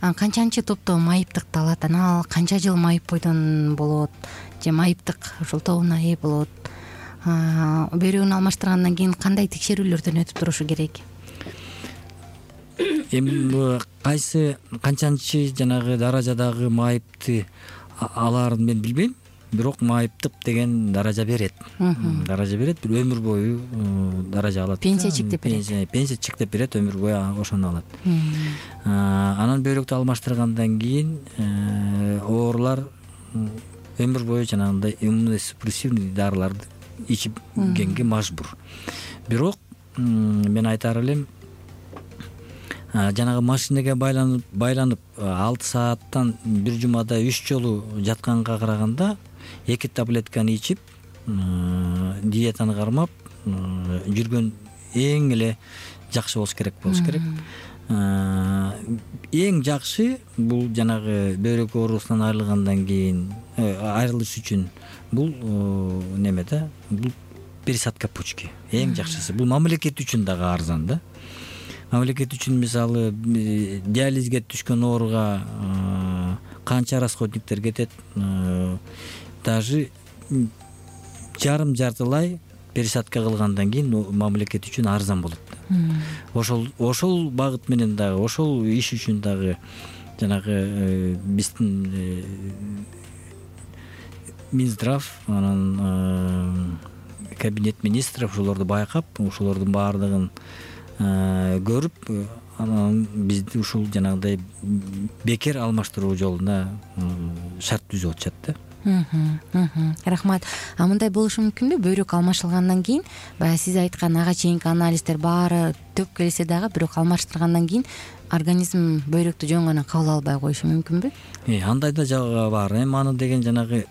канчанчы топто майыптыкты алат, анан ал канча жыл майып бойдон болот же майыптык ушул тобуна ээ болот, бөйрөгүн алмаштыргандан кийин кандай текшерүүлөрдөн өтүп турушу керек? Эми кайсы канчанчы жанагы даражадагы майыпты алаарын мен билбейм, бирок майыптык деген даража берет. Даража берет, бир өмүр бою даража алат. Пенсия чектеп берет. Пенсия чектеп берет, өмүр бою ошону алат. Анан бөйрөктү алмаштыргандан кийин оорулар өмүр бою жанагындай иммуносупрессивный дарыларды ичип келгенге мажбур. Бирок мен айтар элем, жанагы машинеге байланып байланып алты сааттан бир жумада үч жолу жатканга караганда эки таблетканы ичип, диетаны кармап жүргөн эң эле жакшы болуш керек болуш керек. Эң жакшы бул жанагы бөйрөк оорусунан айрылгандан кийин айрылыш үчүн бул неме да, бул пересадка почки эң жакшысы. Бул мамлекет үчүн дагы арзан да. Мамлекет үчүн мисалы диализге түшкөн ооруга канча расходниктер кетет, даже жарым жартылай пересадка кылгандан кийин мамлекет үчүн арзан болот. Ошол ошол багыт менен дагы, ошол иш үчүн дагы жанагы биздин Минздрав, анан кабинет министров ошолорду байкап, ошолордун баардыгын көрүп, анан бизди ушул жанагыдай бекер алмаштыруу жолуна шарт түзүп атышат да. Рахмат. А мындай болушу мүмкүнбү? Бөйрөк алмашылгандан кийин, баягы сиз айткан ага чейинки анализдер баары төп келсе дагы, бирок алмаштыргандан кийин организм бөйрөктү жөн гана кабыл албай коюшу мүмкүнбү? Э, андай да жагы бар. Эми аны деген жанагы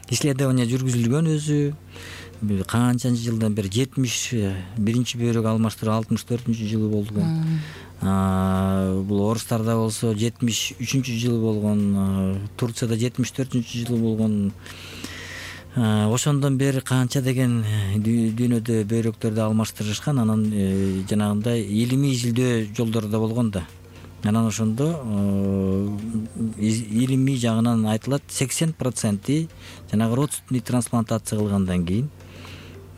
исследование жүргүзүлгөн өзү. Канчанчы жылдан бери жетимиш биринчи бөйрөк алмаштыруу алтымыш төртүнчү жылы болгон. Бул орустарда болсо жетимиш үчүнчү жылы болгон, Турцияда жетимиш төртүнчү жылы болгон. Ошондон бери канча деген дүйнөдө бөйрөктөрдү алмаштырышкан, анан жанагындай илимий изилдөө жолдору да болгон да. Анан ошондо илимий жагынан айтылат, сексен проценти жанагы родственный трансплантация кылгандан кийин,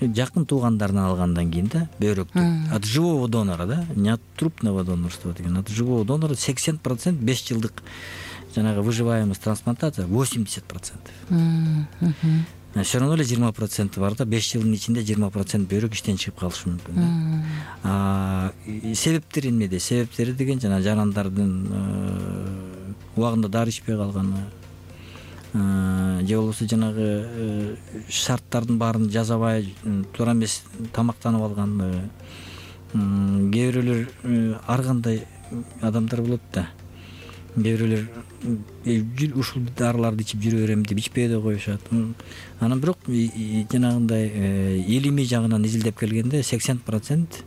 жакын туугандарынан алгандан кийин да, бөйрөктү от живого донора да, не от трупного донорства деген, от живого донора сексен процент беш жылдык жанагы выживаемость трансплантация восемьдесят процентов. Все равно эле жыйырма процент бар да, беш жылдын ичинде жыйырма процент бөйрөк иштен чыгып калышы мүмкүн да. Себептери эмнеде? Себептери деген жана жарандардын убагында дары ичпей калганы, же болбосо жанагы шарттардын баарын жасабай туура эмес тамактанып алганы. Кээ бирөөлөр ар кандай адамдар болот да. Кээ бирөөлөр ушул дарыларды ичип жүрө берем деп ичпей да коюшат. Анан бирок жанагындай илимий жагынан изилдеп келгенде сексен процент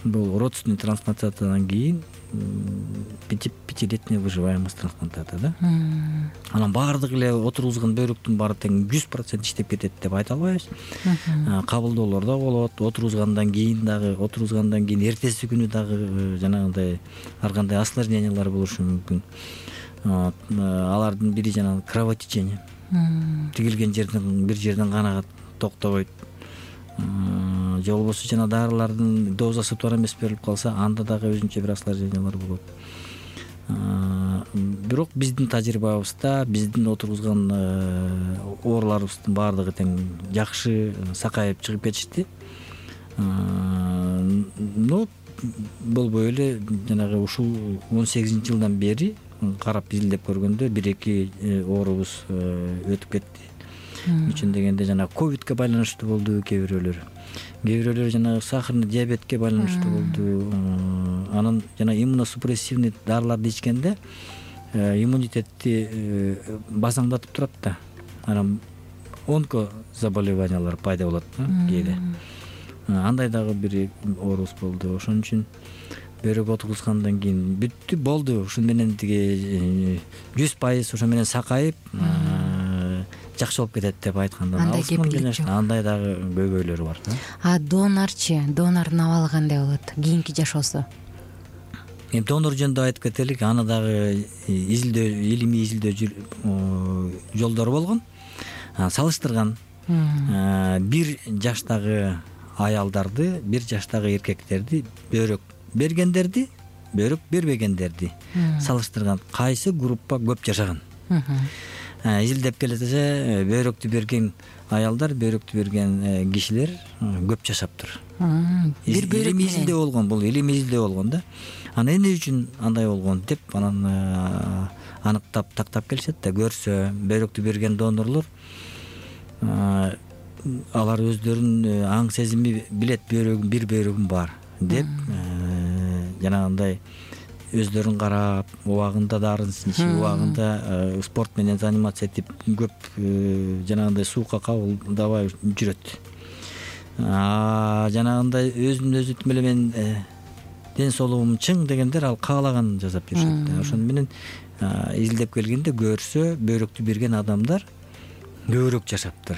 бул родственный трансплантациядан кийин пятилетняя выживаемость трансплантация да. Анан баардык эле отургузган бөйрөктүн баары тең жүз процент иштеп кетет деп айта албайбыз. Кабылдоолор да болот, отургузгандан кийин дагы, отургузгандан кийин эртеси күнү дагы жанагындай ар кандай осложнениялар болушу мүмкүн. Алардын бири жанагы кровотечение. Тигилген жерден бир жерден кан токтобойт. Же болбосо жана дарылардын дозасы туура эмес берилип калса, анда дагы өзүнчө бир осложнениялар болот. Бирок биздин тажрыйбабызда биздин отургузган ооруларыбыздын баардыгы тең жакшы сакайып чыгып кетишти. Но болбой эле жанагы ушул он сегизинчи жылдан бери карап изилдеп көргөндө бир эки оорубуз өтүп кетти. Үчүн дегенде жана ковидке байланыштуу болду кээ бирөөлөр. Кээ бирөөлөр жана сахарный диабетке байланыштуу болду. Анан жана иммуносупрессивный дарыларды ичкенде иммунитетти базаңдатып турат да. Анан онко заболеваниялар пайда болот кээде. Андай дагы бир оорубуз болду. Ошон үчүн бөйрөк отургузгандан кийин бүттү болду. Ушун менен тиги жүз пайыз ошо менен сакайып жакшы болуп кетет деп айтканда андай дагы көйгөйлөрү бар да. А донорчу, донордун абалы кандай болот кийинки жашоосу? эми донор жөнүндө айтып кетелик, аны дагы изилдөө, илимий изилдөө жолдору болгон. Салыштырган бир жаштагы аялдарды, бир жаштагы эркектерди, бөйрөк бергендерди, бөйрөк бербегендерди салыштырган, кайсы группа көп жашаган. Изилдеп келсе, бөйрөктү берген аялдар, бөйрөктү берген кишилер көп жашаптыр. Бир бөйрөк изилдөө болгон, бул илимий изилдөө болгон да. Анан эмне үчүн андай болгон деп анан аныктап тактап келишет да, көрсө бөйрөктү берген донорлор алар өздөрүн аң сезими билет, бөйрөгүм бир бөйрөгүм бар деп жанагындай өздөрүн карап, убагында дарын ичип, убагында спорт менен занимация этип, көп жанагындай суукка кабылдабай жүрөт. Жанагындай өзүн өзү эле мен ден соолугум чың дегендер ал каалаганын жасап жүрүшөт. Ошону менен изилдеп келгенде көрсө бөйрөктү берген адамдар көбүрөөк жашаптыр.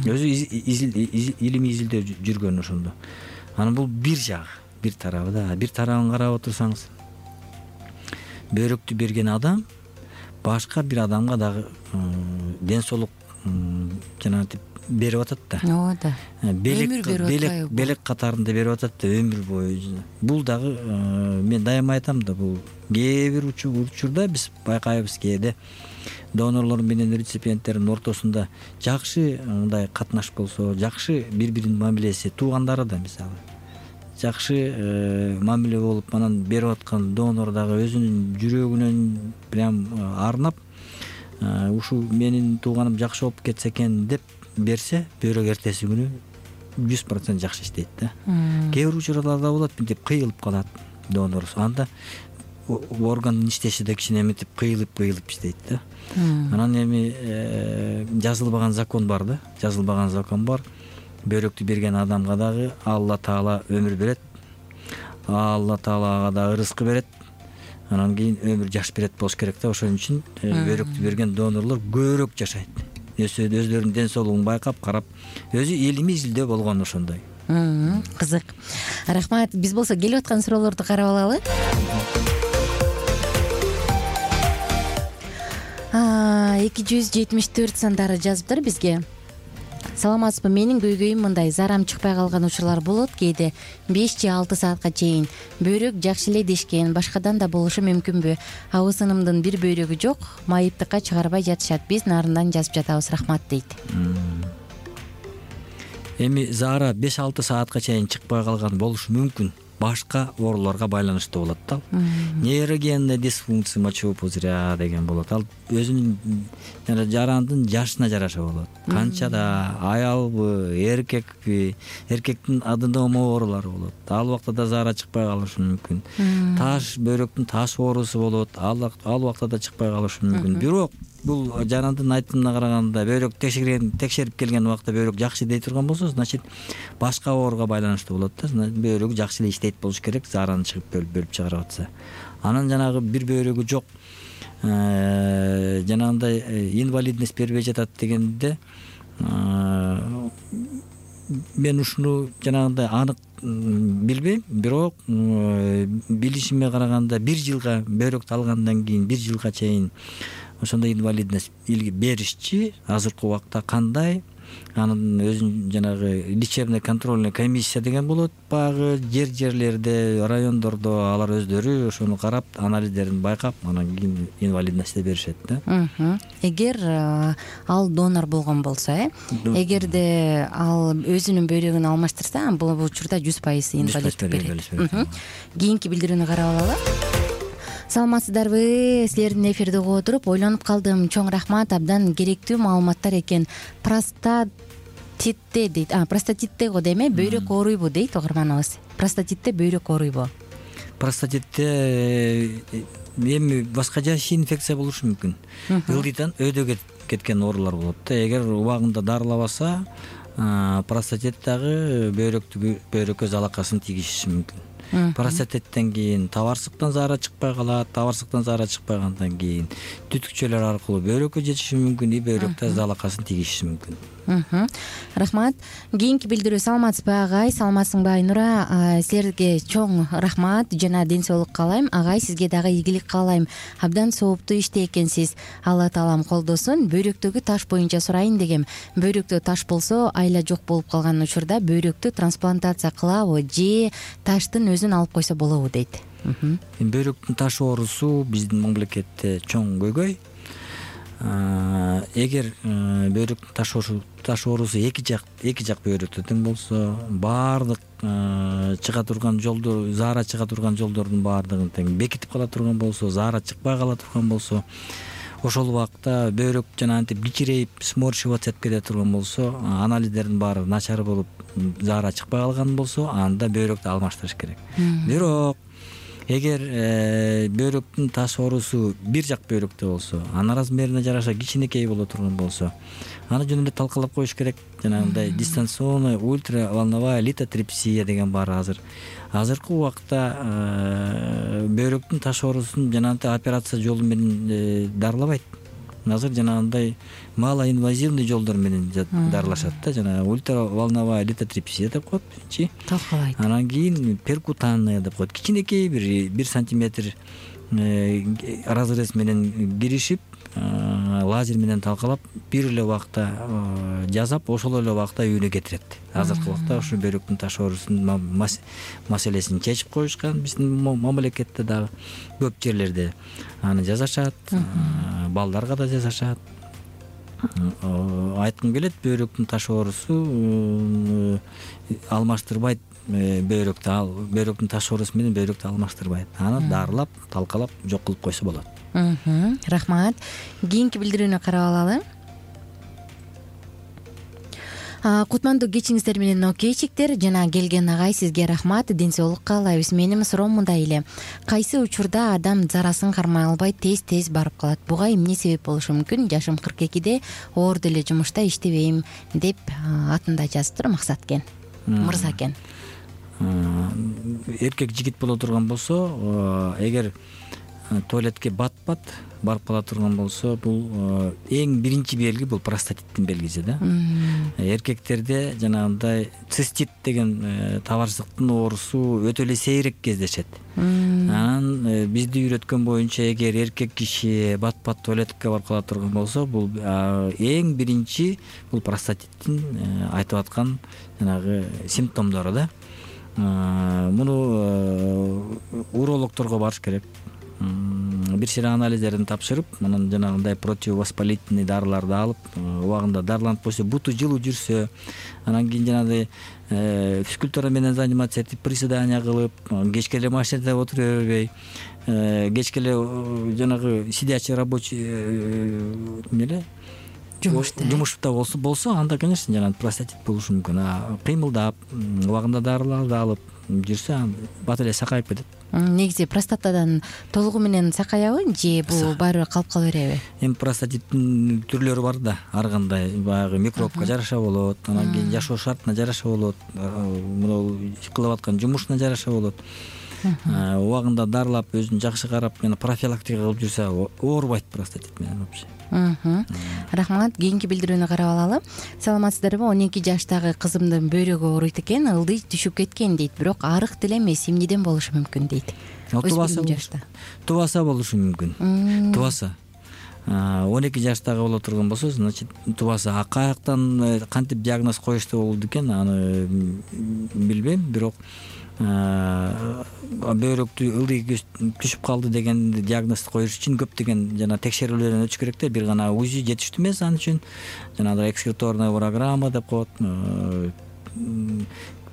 Өзү илимий изилдөө жүргөн ошондо. Анан бул бир жагы, бир тарабы да. Бир тарабын карап отурсаңыз, бөйрөктү берген адам башка бир адамга дагы ден соолук жанагынтип берип атат да. Ооба да. Белек белек белек катарында берип атат да, өмүр бою. Бул дагы мен дайыма айтам да, бул кээ бир учурда биз байкайбыз, кээде донорлор менен реципиенттердин ортосунда жакшы мындай катнаш болсо, жакшы бири-биринин мамилеси, туугандары да мисалы жакшы мамиле болуп, анан берип аткан донор дагы өзүнүн жүрөгүнөн прям арнап, ушу менин тууганым жакшы болуп кетсе экен деп берсе, бөйрөк эртеси күнү жүз процент жакшы иштейт да. Кээ бир учурларда болот, мынтип кыйылып калат донор. Анда органдын иштеши да кичине мынтип кыйылып-кыйылып иштейт да. Анан эми жазылбаган закон бар да, жазылбаган закон бар. Бөйрөктү берген адамга дагы Алла Таала өмүр берет. Алла Таалага да ырызкы берет. Анан кийин өмүр жаш берет болуш керек да. Ошон үчүн бөйрөктү берген донорлор көбүрөөк жашайт. Өздөрүнүн ден соолугун байкап, карап, өзү илимий изилдөө болгон ошондой. Кызык. Рахмат. Биз болсо келип аткан суроолорду карап алалы. эки жүз жетимиш төрт сандары жазыптыр бизге. Саламатсызбы, менин көйгөйүм мындай: зарам чыкпай калган учурлар болот, кээде беш же алты саатка чейин. Бөйрөк жакшы эле дешкен, башкадан да болушу мүмкүнбү? Абысынымдын бир бөйрөгү жок, майыптыкка чыгарбай жатышат. Биз нарындан жазып жатабыз, рахмат дейт. Эми зара беш алты саатка чейин чыкпай калган болушу мүмкүн. Башка ооруларга байланыштуу болот да. Нейрогенная дисфункция мочевого пузыря деген болот. Ал өзүнүн жана жарандын жашына жараша болот. Канчада аялбы, эркекпи, эркектин аденома оорулары болот. Ал убакта да зара чыкпай калышы мүмкүн. Таш, бөйрөктүн таш оорусу болот. Ал ал убакта да чыкпай калышы мүмкүн. Бирок бул жанандын айтымына караганда бөйрөк текшерген текшерип келген убакта бөйрөк жакшы дей турган болсо, значит башка ооруга байланыштуу болот да. Бөйрөк жакшы эле иштейт болуш керек, зараны чыгып бөлүп бөлүп чыгарып атса. Анан жанагы бир бөйрөгү жок, жанагындай инвалидность бербей жатат дегенде мен ушуну жанагындай анык билбейм, бирок билишиме караганда бир жылга бөйрөктү алгандан кийин бир жылга чейин ошондой инвалидность беришчи. Азыркы убакта кандай, анын өзүн жанагы лечебный контрольный комиссия деген болот. Багы жер жерлерде, райондордо алар өздөрү ошону карап, анализдерин байкап, анан кийин инвалидность беришет да. Эгер ал донор болгон болсо, э эгерде ал өзүнүн бөйрөгүн алмаштырса, бул учурда жүз пайыз инвалиддик берет. Кийинки билдирүүнү карап алалы. Саламатсыздарбы? Силердин эфирди угуп отуруп ойлонуп калдым. Чоң рахмат, абдан керектүү маалыматтар экен. Простатитте дейт. А, простатитте го деме, бөйрөк ооруйбу дейт угарманыбыз. Простатитте бөйрөк ооруйбу? Простатитте эми башка жашыл инфекция болушу мүмкүн. Ылдыйтан өйдө кеткен оорулар болот да. Эгер убагында дарылабаса, простатит дагы бөйрөктү бөйрөккө залакасын тийгизиши мүмкүн. простатиттен кийин табарсыктан заара чыкпай калат, табарсыктан заара чыкпагандан кийин түтүкчөлөр аркылуу бөйрөккө жетиши мүмкүн, и бөйрөктө залакасын тийгизиши мүмкүн. Рахмат. Кийинки билдирүү: саламатсызбы агай? Саламатсыңбы Айнура? Силерге чоң рахмат жана ден соолук каалайм. Агай, сизге дагы ийгилик каалайм. Абдан сооптуу иште экенсиз. Алла таалам колдосун. Бөйрөктөгү таш боюнча сурайын дегем. Бөйрөктө таш болсо, айла жок болуп калган учурда бөйрөктү трансплантация кылабы же таштын өзүн алып койсо болобу дейт. Бөйрөктүн таш оорусу биздин мамлекетте чоң көйгөй. Эгер бөйрөктүн таш оорусу эки жак эки жак бөйрөктө тең болсо, баардык чыга турган жолдор, заара чыга турган жолдордун баардыгын тең бекитип кала турган болсо, заара чыкпай кала турган болсо, ошол убакта бөйрөк жана антип кичирейип сморщиваться этип кете турган болсо, анализдердин баары начар болуп, заара чыкпай калган болсо, анда бөйрөктү алмаштырыш керек. Бирок эгер бөйрөктүн таш оорусу бир жак бөйрөктө болсо, анын размерине жараша кичинекей боло турган болсо, аны жөн эле талкалап коюш керек. Жанагындай дистанционный ультраволновая литотрипсия деген бар азыр. Азыркы убакта бөйрөктүн таш оорусун жанагындай операция жолу менен дарылабайт. Азыр жанагындай малоинвазивный жолдор менен дарылашат да, жана ультраволновая литотрипсия деп коет биринчи. Талкалайт. Анан кийин перкутанная деп коет. Кичинекей бир бир сантиметр разрез менен киришип, лазер менен талкалап, бир эле убакта жасап, ошол эле убакта үйүнө кетирет. Азыркы убакта ушу бөйрөктүн таш оорусунун маселесин чечип коюшкан биздин мамлекетте дагы көп жерлерде аны жасашат, балдарга да жасашат. Айткым келет, бөйрөктүн таш оорусу алмаштырбайт бөйрөктү, ал бөйрөктүн таш оорусу менен бөйрөктү алмаштырбайт. Аны дарылап, талкалап жок кылып койсо болот. Рахмат. Кийинки билдирүүнү карап алалы. Кутмандуу кечиңиздер менен окейчиктер, жана келген агай, сизге рахмат, ден соолук каалайбыз. Менин суроом мындай эле: кайсы учурда адам зарасын кармай албай тез-тез барып калат? Буга эмне себеп болушу мүмкүн? Жашым кырк экиде, оор деле жумушта иштебейм деп атында жазыптыр Максаткен мырза экен. Эркек жигит боло турган болсо, эгер туалетке бат-бат барып кала турган болсо, бул эң биринчи белги, бул простатиттин белгиси да. Эркектерде жанагындай цистит деген табарсыктын оорусу өтө эле сейрек кездешет. Анан бизди үйрөткөн боюнча, эгер эркек киши бат-бат туалетке барып кала турган болсо, бул эң биринчи бул простатиттин айтып аткан жанагы симптомдору да. Муну урологторго барыш керек. Бир сыйра анализдерин тапшырып, анан жанагындай противовоспалительный дарыларды алып, убагында дарыланып койсо, буту жылуу жүрсө, анан кийин жанагындай физкультура менен заниматься этип, приседания кылып, кечке эле машинада отура бербей, кечке эле жанагы сидячий рабочий эмеле жумушта болсо болсо анда, конечно, жанагы простатит болушу мүмкүн. Кыймылдап, убагында дарыларды алып жүрсө, бат эле сакайып кетет. Негизи простатадан толугу менен сакаябы же бул баары калып кала береби? Эми простатиттин түрлөрү бар да, ар кандай баягы микробко жараша болот, анан кийин жашоо шартына жараша болот, мына кылып аткан жумушуна жараша болот. Убагында дарылап, өзүн жакшы карап, жана профилактика кылып жүрсө, оорубайт простатит менен вообще. Рахмат. Кийинки билдирүүнү карап алалы. Саламатсыздарбы? он эки жаштагы кызымдын бөйрөгү ооруйт экен, ылдый түшүп кеткен дейт, бирок арык деле эмес. Эмнеден болушу мүмкүн дейт? Тубаса тубаса болушу мүмкүн. Тубаса он эки жаштагы боло турган болсо, значит, тубаса. Каяктан кантип диагноз коюшту болду экен, аны билбейм, бирок бөйрөктү ылдый түшүп калды деген диагнозду коюш үчүн көптөгөн жана текшерүүлөрдөн өтүш керек да. Бир гана УЗИ жетиштүү эмес ан үчүн. Жанагы экскреторная программа деп коет,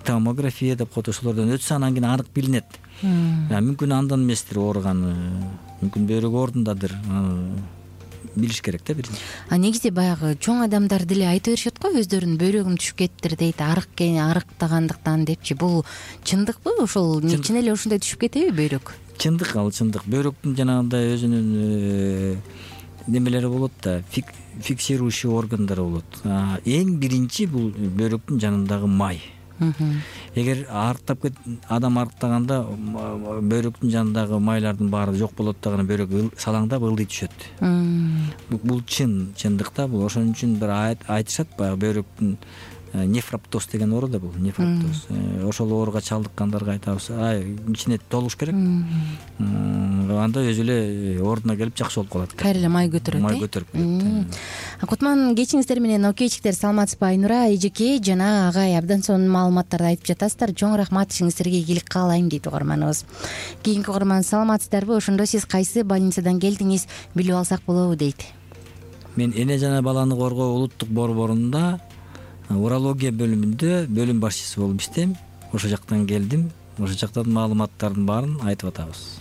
томография деп коет, ошолордон өтсө анан кийин анык билинет. Мүмкүн андан эместир ооруганы, мүмкүн бөйрөк ордундадыр. Билиш керек да биринчи. А негизи баягы чоң адамдар деле айта беришет го, өздөрүнүн бөйрөгүм түшүп кеттир дейт, арык арыктагандыктан депчи. Бул чындыкпы? Ошол чын эле ушундай түшүп кетеби бөйрөк? Чындык, ал чындык. Бөйрөктүн жанагындай өзүнүн немелери болот да, фиксирующий органдары болот. Эң биринчи бул бөйрөктүн жанындагы май. эгер арыктап кет адам арыктаганда бөйрөктүн жанындагы майлардын баары жок болот дагы бөйрөк салаңдап ылдый түшөт. Бул чын чындыкта бул ошон үчүн бир айтышат баягы бөйрөктүн нефроптоз деген оору да бул нефроптоз. Ошол ооруга чалдыккандарга айтабыз, ай ичине толуш керек. Анда өзү эле ордуна келип жакшы болуп калат. Кайра эле май көтөрөт. Май көтөрүп кетет. Кутман кечиңиздер менен окейчиктер, саламатсызбы? Айнура эжеке жана агай абдан сонун маалыматтарды айтып жатасыздар. Чоң рахмат, ишиңиздерге ийгилик каалайм дейт угарманыбыз. Кийинки угарман, саламатсыздарбы? Ошондо сиз кайсы больницадан келдиңиз, билип алсак болобу дейт. Мен эне жана баланы коргоо улуттук борборунда урология бөлүмүндө бөлүм башчысы болуп иштейм. Ошол жактан келдим. Ошол жактан маалыматтардын баарын айтып атабыз.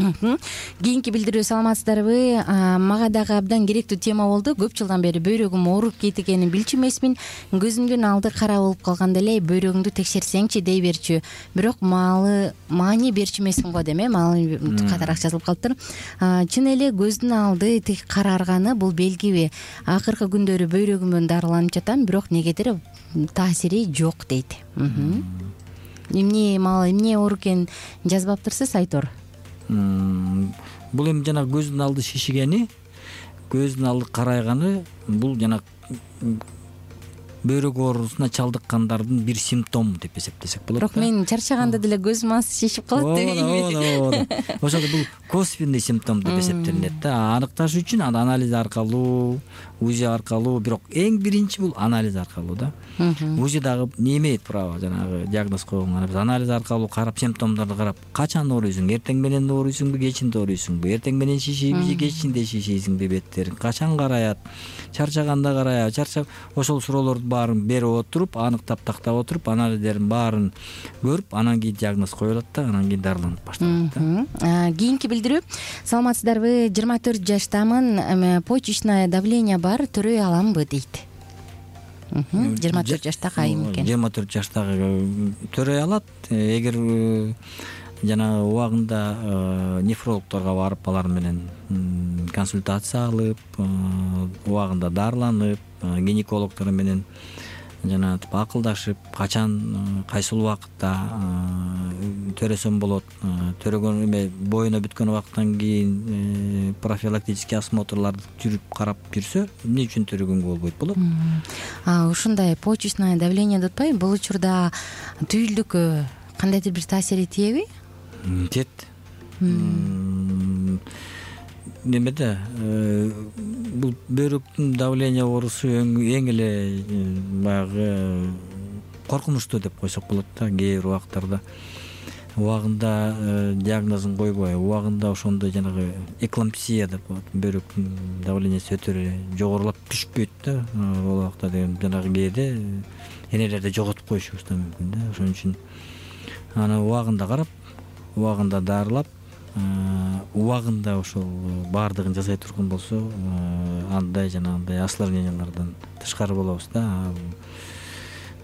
Кийинки билдирүү, саламатсыздарбы? Мага дагы абдан керектүү тема болду. Көп жылдан бери бөйрөгүм ооруп кеткенин билчү эмесмин. Көзүмдүн алды кара болуп калганда эле бөйрөгүңдү текшерсеңчи дей берчү. Бирок маалы маани берчү эмесмин го дейм, э, маалы катараак жазылып калыптыр. Чын эле көздүн алды тик карарганы бул белгиби? Акыркы күндөрү бөйрөгүмөн дарыланып жатам, бирок негедир таасири жок дейт. Эмне маал, эмне оор экенин жазбаптырсыз, Айтор? Бул эми жана көздүн алды шишигени, көздүн алды карайганы бул жана бөйрөк оорусуна чалдыккандардын бир симптому деп эсептесек болот. Бирок мен чарчаганда деле көзүм азыр шишип калат дебейинби? Ооба. Ошондо бул косвенный симптом деп эсептелинет да. Аныкташ үчүн анализ аркылуу, УЗИ аркылуу, бирок эң биринчи бул анализ аркылуу да. УЗИ дагы немейт право жанагы диагноз койгонго. Биз анализ аркылуу карап, симптомдорду карап, качан ооруйсуң? Эртең менен ооруйсуңбу, кечинде ооруйсуңбу? Эртең менен шишийби же кечинде шишийсиңби беттериң? Качан караят? Чарчаганда караят? Чарчап ошол суроолорду баарын берип отуруп, аныктап тактап отуруп, анализдердин баарын көрүп, анан кийин диагноз коюлат да, анан кийин дарыланып башталат да. Кийинки билдирүү, саламатсыздарбы? жыйырма төрт жаштамын, почечное давление бар, төрөй аламбы дейт. жыйырма төрт жаштагы айым экен. жыйырма төрт жаштагы төрөй алат. Эгер жана убагында нефрологторго барып, алар менен консультация алып, убагында дарыланып, гинекологдор менен жана акылдашып, качан кайсыл убакытта төрөсөм болот, төрөгөн эме боюна бүткөн убакыттан кийин профилактический осмотрларды жүрүп карап жүрсө, эмне үчүн төрөгөнгө болбойт болот. А ушундай почечное давление деп атпайбы? Бул учурда түйүлдүккө кандайдыр бир таасири тиеби? Тиет. Немеде бул бөйрөктүн давление оорусу эң эле баягы коркунучтуу деп койсок болот да. Кээ бир убактарда убагында диагнозун койбой, убагында ошондой жанагы эклампсия деп коет, бөйрөктүн давлениеси өтө эле жогорулап түшпөйт да. Ол убакта деген жанагы кээде энелерди жоготуп коюшубуз да мүмкүн да. Ошон үчүн аны убагында карап, убагында дарылап, убагында ошол баардыгын жасай турган болсо, андай жана андай осложнениялардан тышкары болобуз да.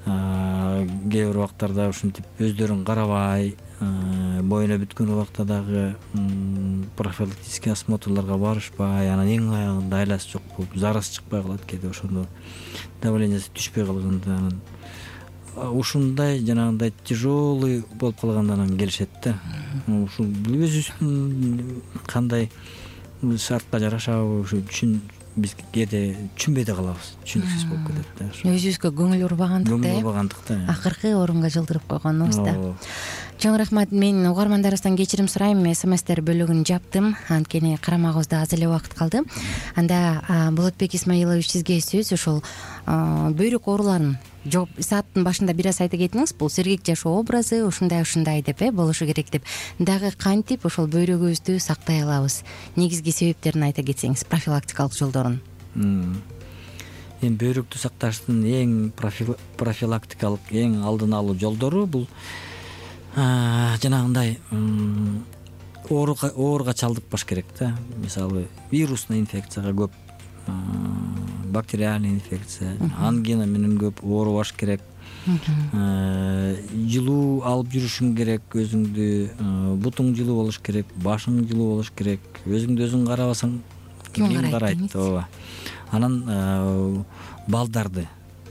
Кээ бир убактарда ушинтип өздөрүн карабай, боюна бүткөн убакта дагы профилактический осмотрларга барышпай, анан эң аягында айласы жок болуп, зарасы чыкпай калат кээде, ошондо давлениеси түшпөй калганда анан ушундай жанагындай тяжелый болуп калганда анан келишет да. Ушул өзүбүздүн кандай шартка жарашабы ушу түшүн биз кээде түшүнбөй да калабыз, түшүнүксүз болуп кетет да. Өзүбүзгө көңүл бурбагандыкта, көңүл бурбагандыкта акыркы орунга жылдырып койгонубуз да. Чоң рахмат. Мен угармандарыбыздан кечирим сурайм, смстер бөлүгүн жаптым, анткени карамагыбызда аз эле убакыт калды. Анда Болотбек Исмаилович, сизге сөз. Ошол бөйрөк ооруларын жооп сааттын башында бир аз айта кетиңиз. Бул сергек жашоо образы ушундай ушундай деп э болушу керек деп. Дагы кантип ошол бөйрөгүбүздү сактай алабыз? Негизги себептерин айта кетсеңиз, профилактикалык жолдорун. Эми бөйрөктү сакташтын эң профилактикалык, эң алдын алуу жолдору бул жанагындай ооруга чалдыкпаш керек да. Мисалы, вирусный инфекцияга көп, бактериальный инфекция, ангина менен көп оорубаш керек. Жылуу алып жүрүшүң керек, өзүңдү, бутуң жылуу болуш керек, башың жылуу болуш керек. Өзүңдү өзүң карабасаң ким карайт? Ооба. Анан балдарды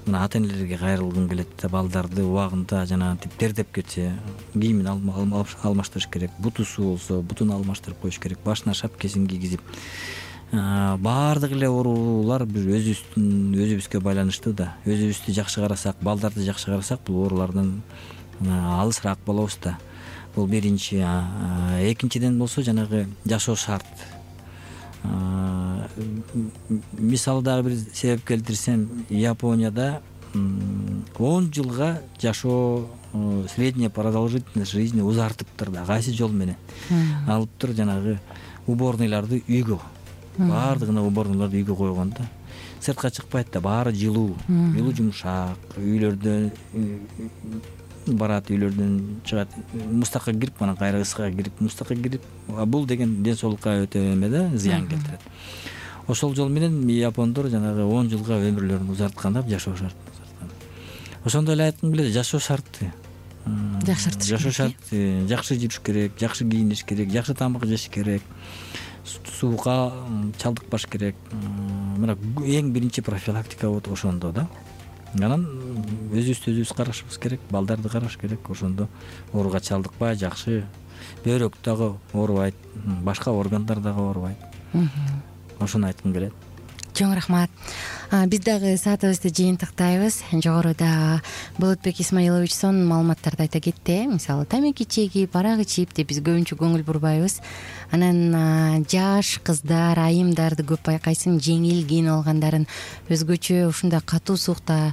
мына ата энелерге кайрылгым келет да, балдарды убагында жанагынтип тердеп кетсе кийимин алмаштырыш керек, бутусу болсо бутун алмаштырып коюш керек, башына шапкесин кийгизип, баардык эле оорулар бир өзүбүздүн өзүбүзгө байланыштуу да. Өзүбүздү жакшы карасак, балдарды жакшы карасак, бул оорулардан алысыраак болобуз да. Бул биринчи. Экинчиден болсо жанагы жашоо шарт. Мисалы дагы бир себеп келтирсем, Японияда он жылга жашоо, средняя продолжительность жизни узартыптыр да. Кайсы жол менен? Алыптыр жанагы уборныйларды үйгө. Баардыгына уборныйларды үйгө койгон да. Сыртка чыкпайт да, баары жылуу, жылуу жумшак, үйлөрдө барат, үйлөрдөн чыгат, мустакка кирип, анан кайра ысыкка кирип, мустакка кирип, бул деген ден соолукка өтө эме да, зыян келтирет. Ошол жол менен япондор жанагы он жылга өмүрлөрүн узарткан, жашоо шартын узарткан. Ошондой эле айткым келет, жашоо шарты. Жакшыртыш керек. Жашоо шарты, жакшы жүрүш керек, жакшы кийиниш керек, жакшы тамак жеш керек, суукка чалдыкпаш керек. Мына эң биринчи профилактика вот ошондо да. Анан өзүбүздү өзүбүз карашыбыз керек, балдарды караш керек. Ошондо ооруга чалдыкпай, жакшы, бөйрөк дагы оорубайт, башка органдар дагы оорубайт. Ошону айткым келет. Чоң рахмат. Биз дагы саатыбызды жыйынтыктайбыз. Жогоруда Болотбек Исмаиловичсон маалыматтарды айта кетти. Мисалы, тамеки чегип, арак ичип деп биз көбүнчө көңүл бурбайбыз. Анан жаш кыздар, айымдарды көп байкайсың, жеңил кийинип алгандарын, өзгөчө ушундай катуу суукта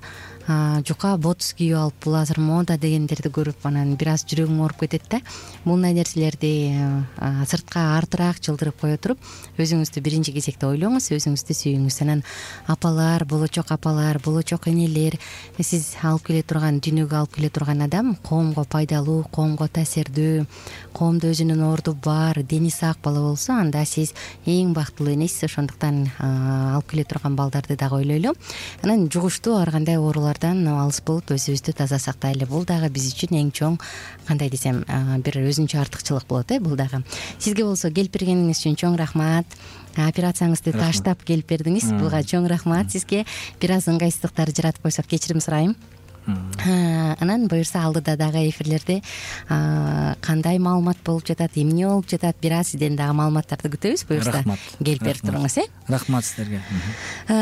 жука ботус кийип алып, бул азыр мода дегендерди көрүп, анан бир аз жүрөгүң ооруп кетет да. Мындай нерселерди сыртка артыраак жылдырып кое туруп, өзүңүздү биринчи кезекте ойлоңуз, өзүңүздү сүйүңүз. Анан апалар, болочок апалар, болочок энелер, сиз алып келе турган, дүйнөгө алып келе турган адам коомго пайдалуу, коомго таасирдүү, коомдо өзүнүн орду бар, дени сак бала болсо, анда сиз эң бактылуу энесиз. Ошондуктан алып келе турган балдарды дагы ойлойлу. Анан жугуштуу ар кандай оорулардан алыс болуп, өзүбүздү таза сактайлы. Бул дагы биз үчүн эң чоң, кандай десем, бир өзүнчө артыкчылык болот э, бул дагы. Сизге болсо келип бергениңиз үчүн чоң рахмат. Операцияңызды таштап келип бердиңиз. Буга чоң рахмат сизге. Бир аз ыңгайсыздыктар жаратып койсок кечирим сурайм. Анан буюрса алдыда дагы эфирлерде кандай маалымат болуп жатат, эмне болуп жатат, бир аз сизден дагы маалыматтарды күтөбүз. Буюрса келип берип туруңуз э. Рахмат сиздерге.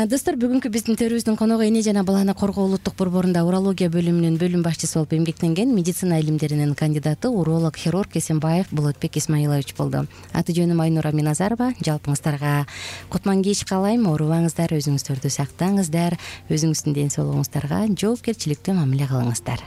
Достор, бүгүнкү биздин төрүбүздүн коногу эне жана баланы коргоо улуттук борборунда урология бөлүмүнүн бөлүм башчысы болуп эмгектенген медицина илимдеринин кандидаты, уролог хирург Эсенбаев Болотбек Исмаилович болду. Аты жөнүм Айнура Миназарова. Жалпыңыздарга кутман кеч каалайм. Оорубаңыздар, өзүңүздөрдү сактаңыздар, өзүңүздүн ден соолугуңуздарга жоопкерчиликтүү мамиле кылыңыздар.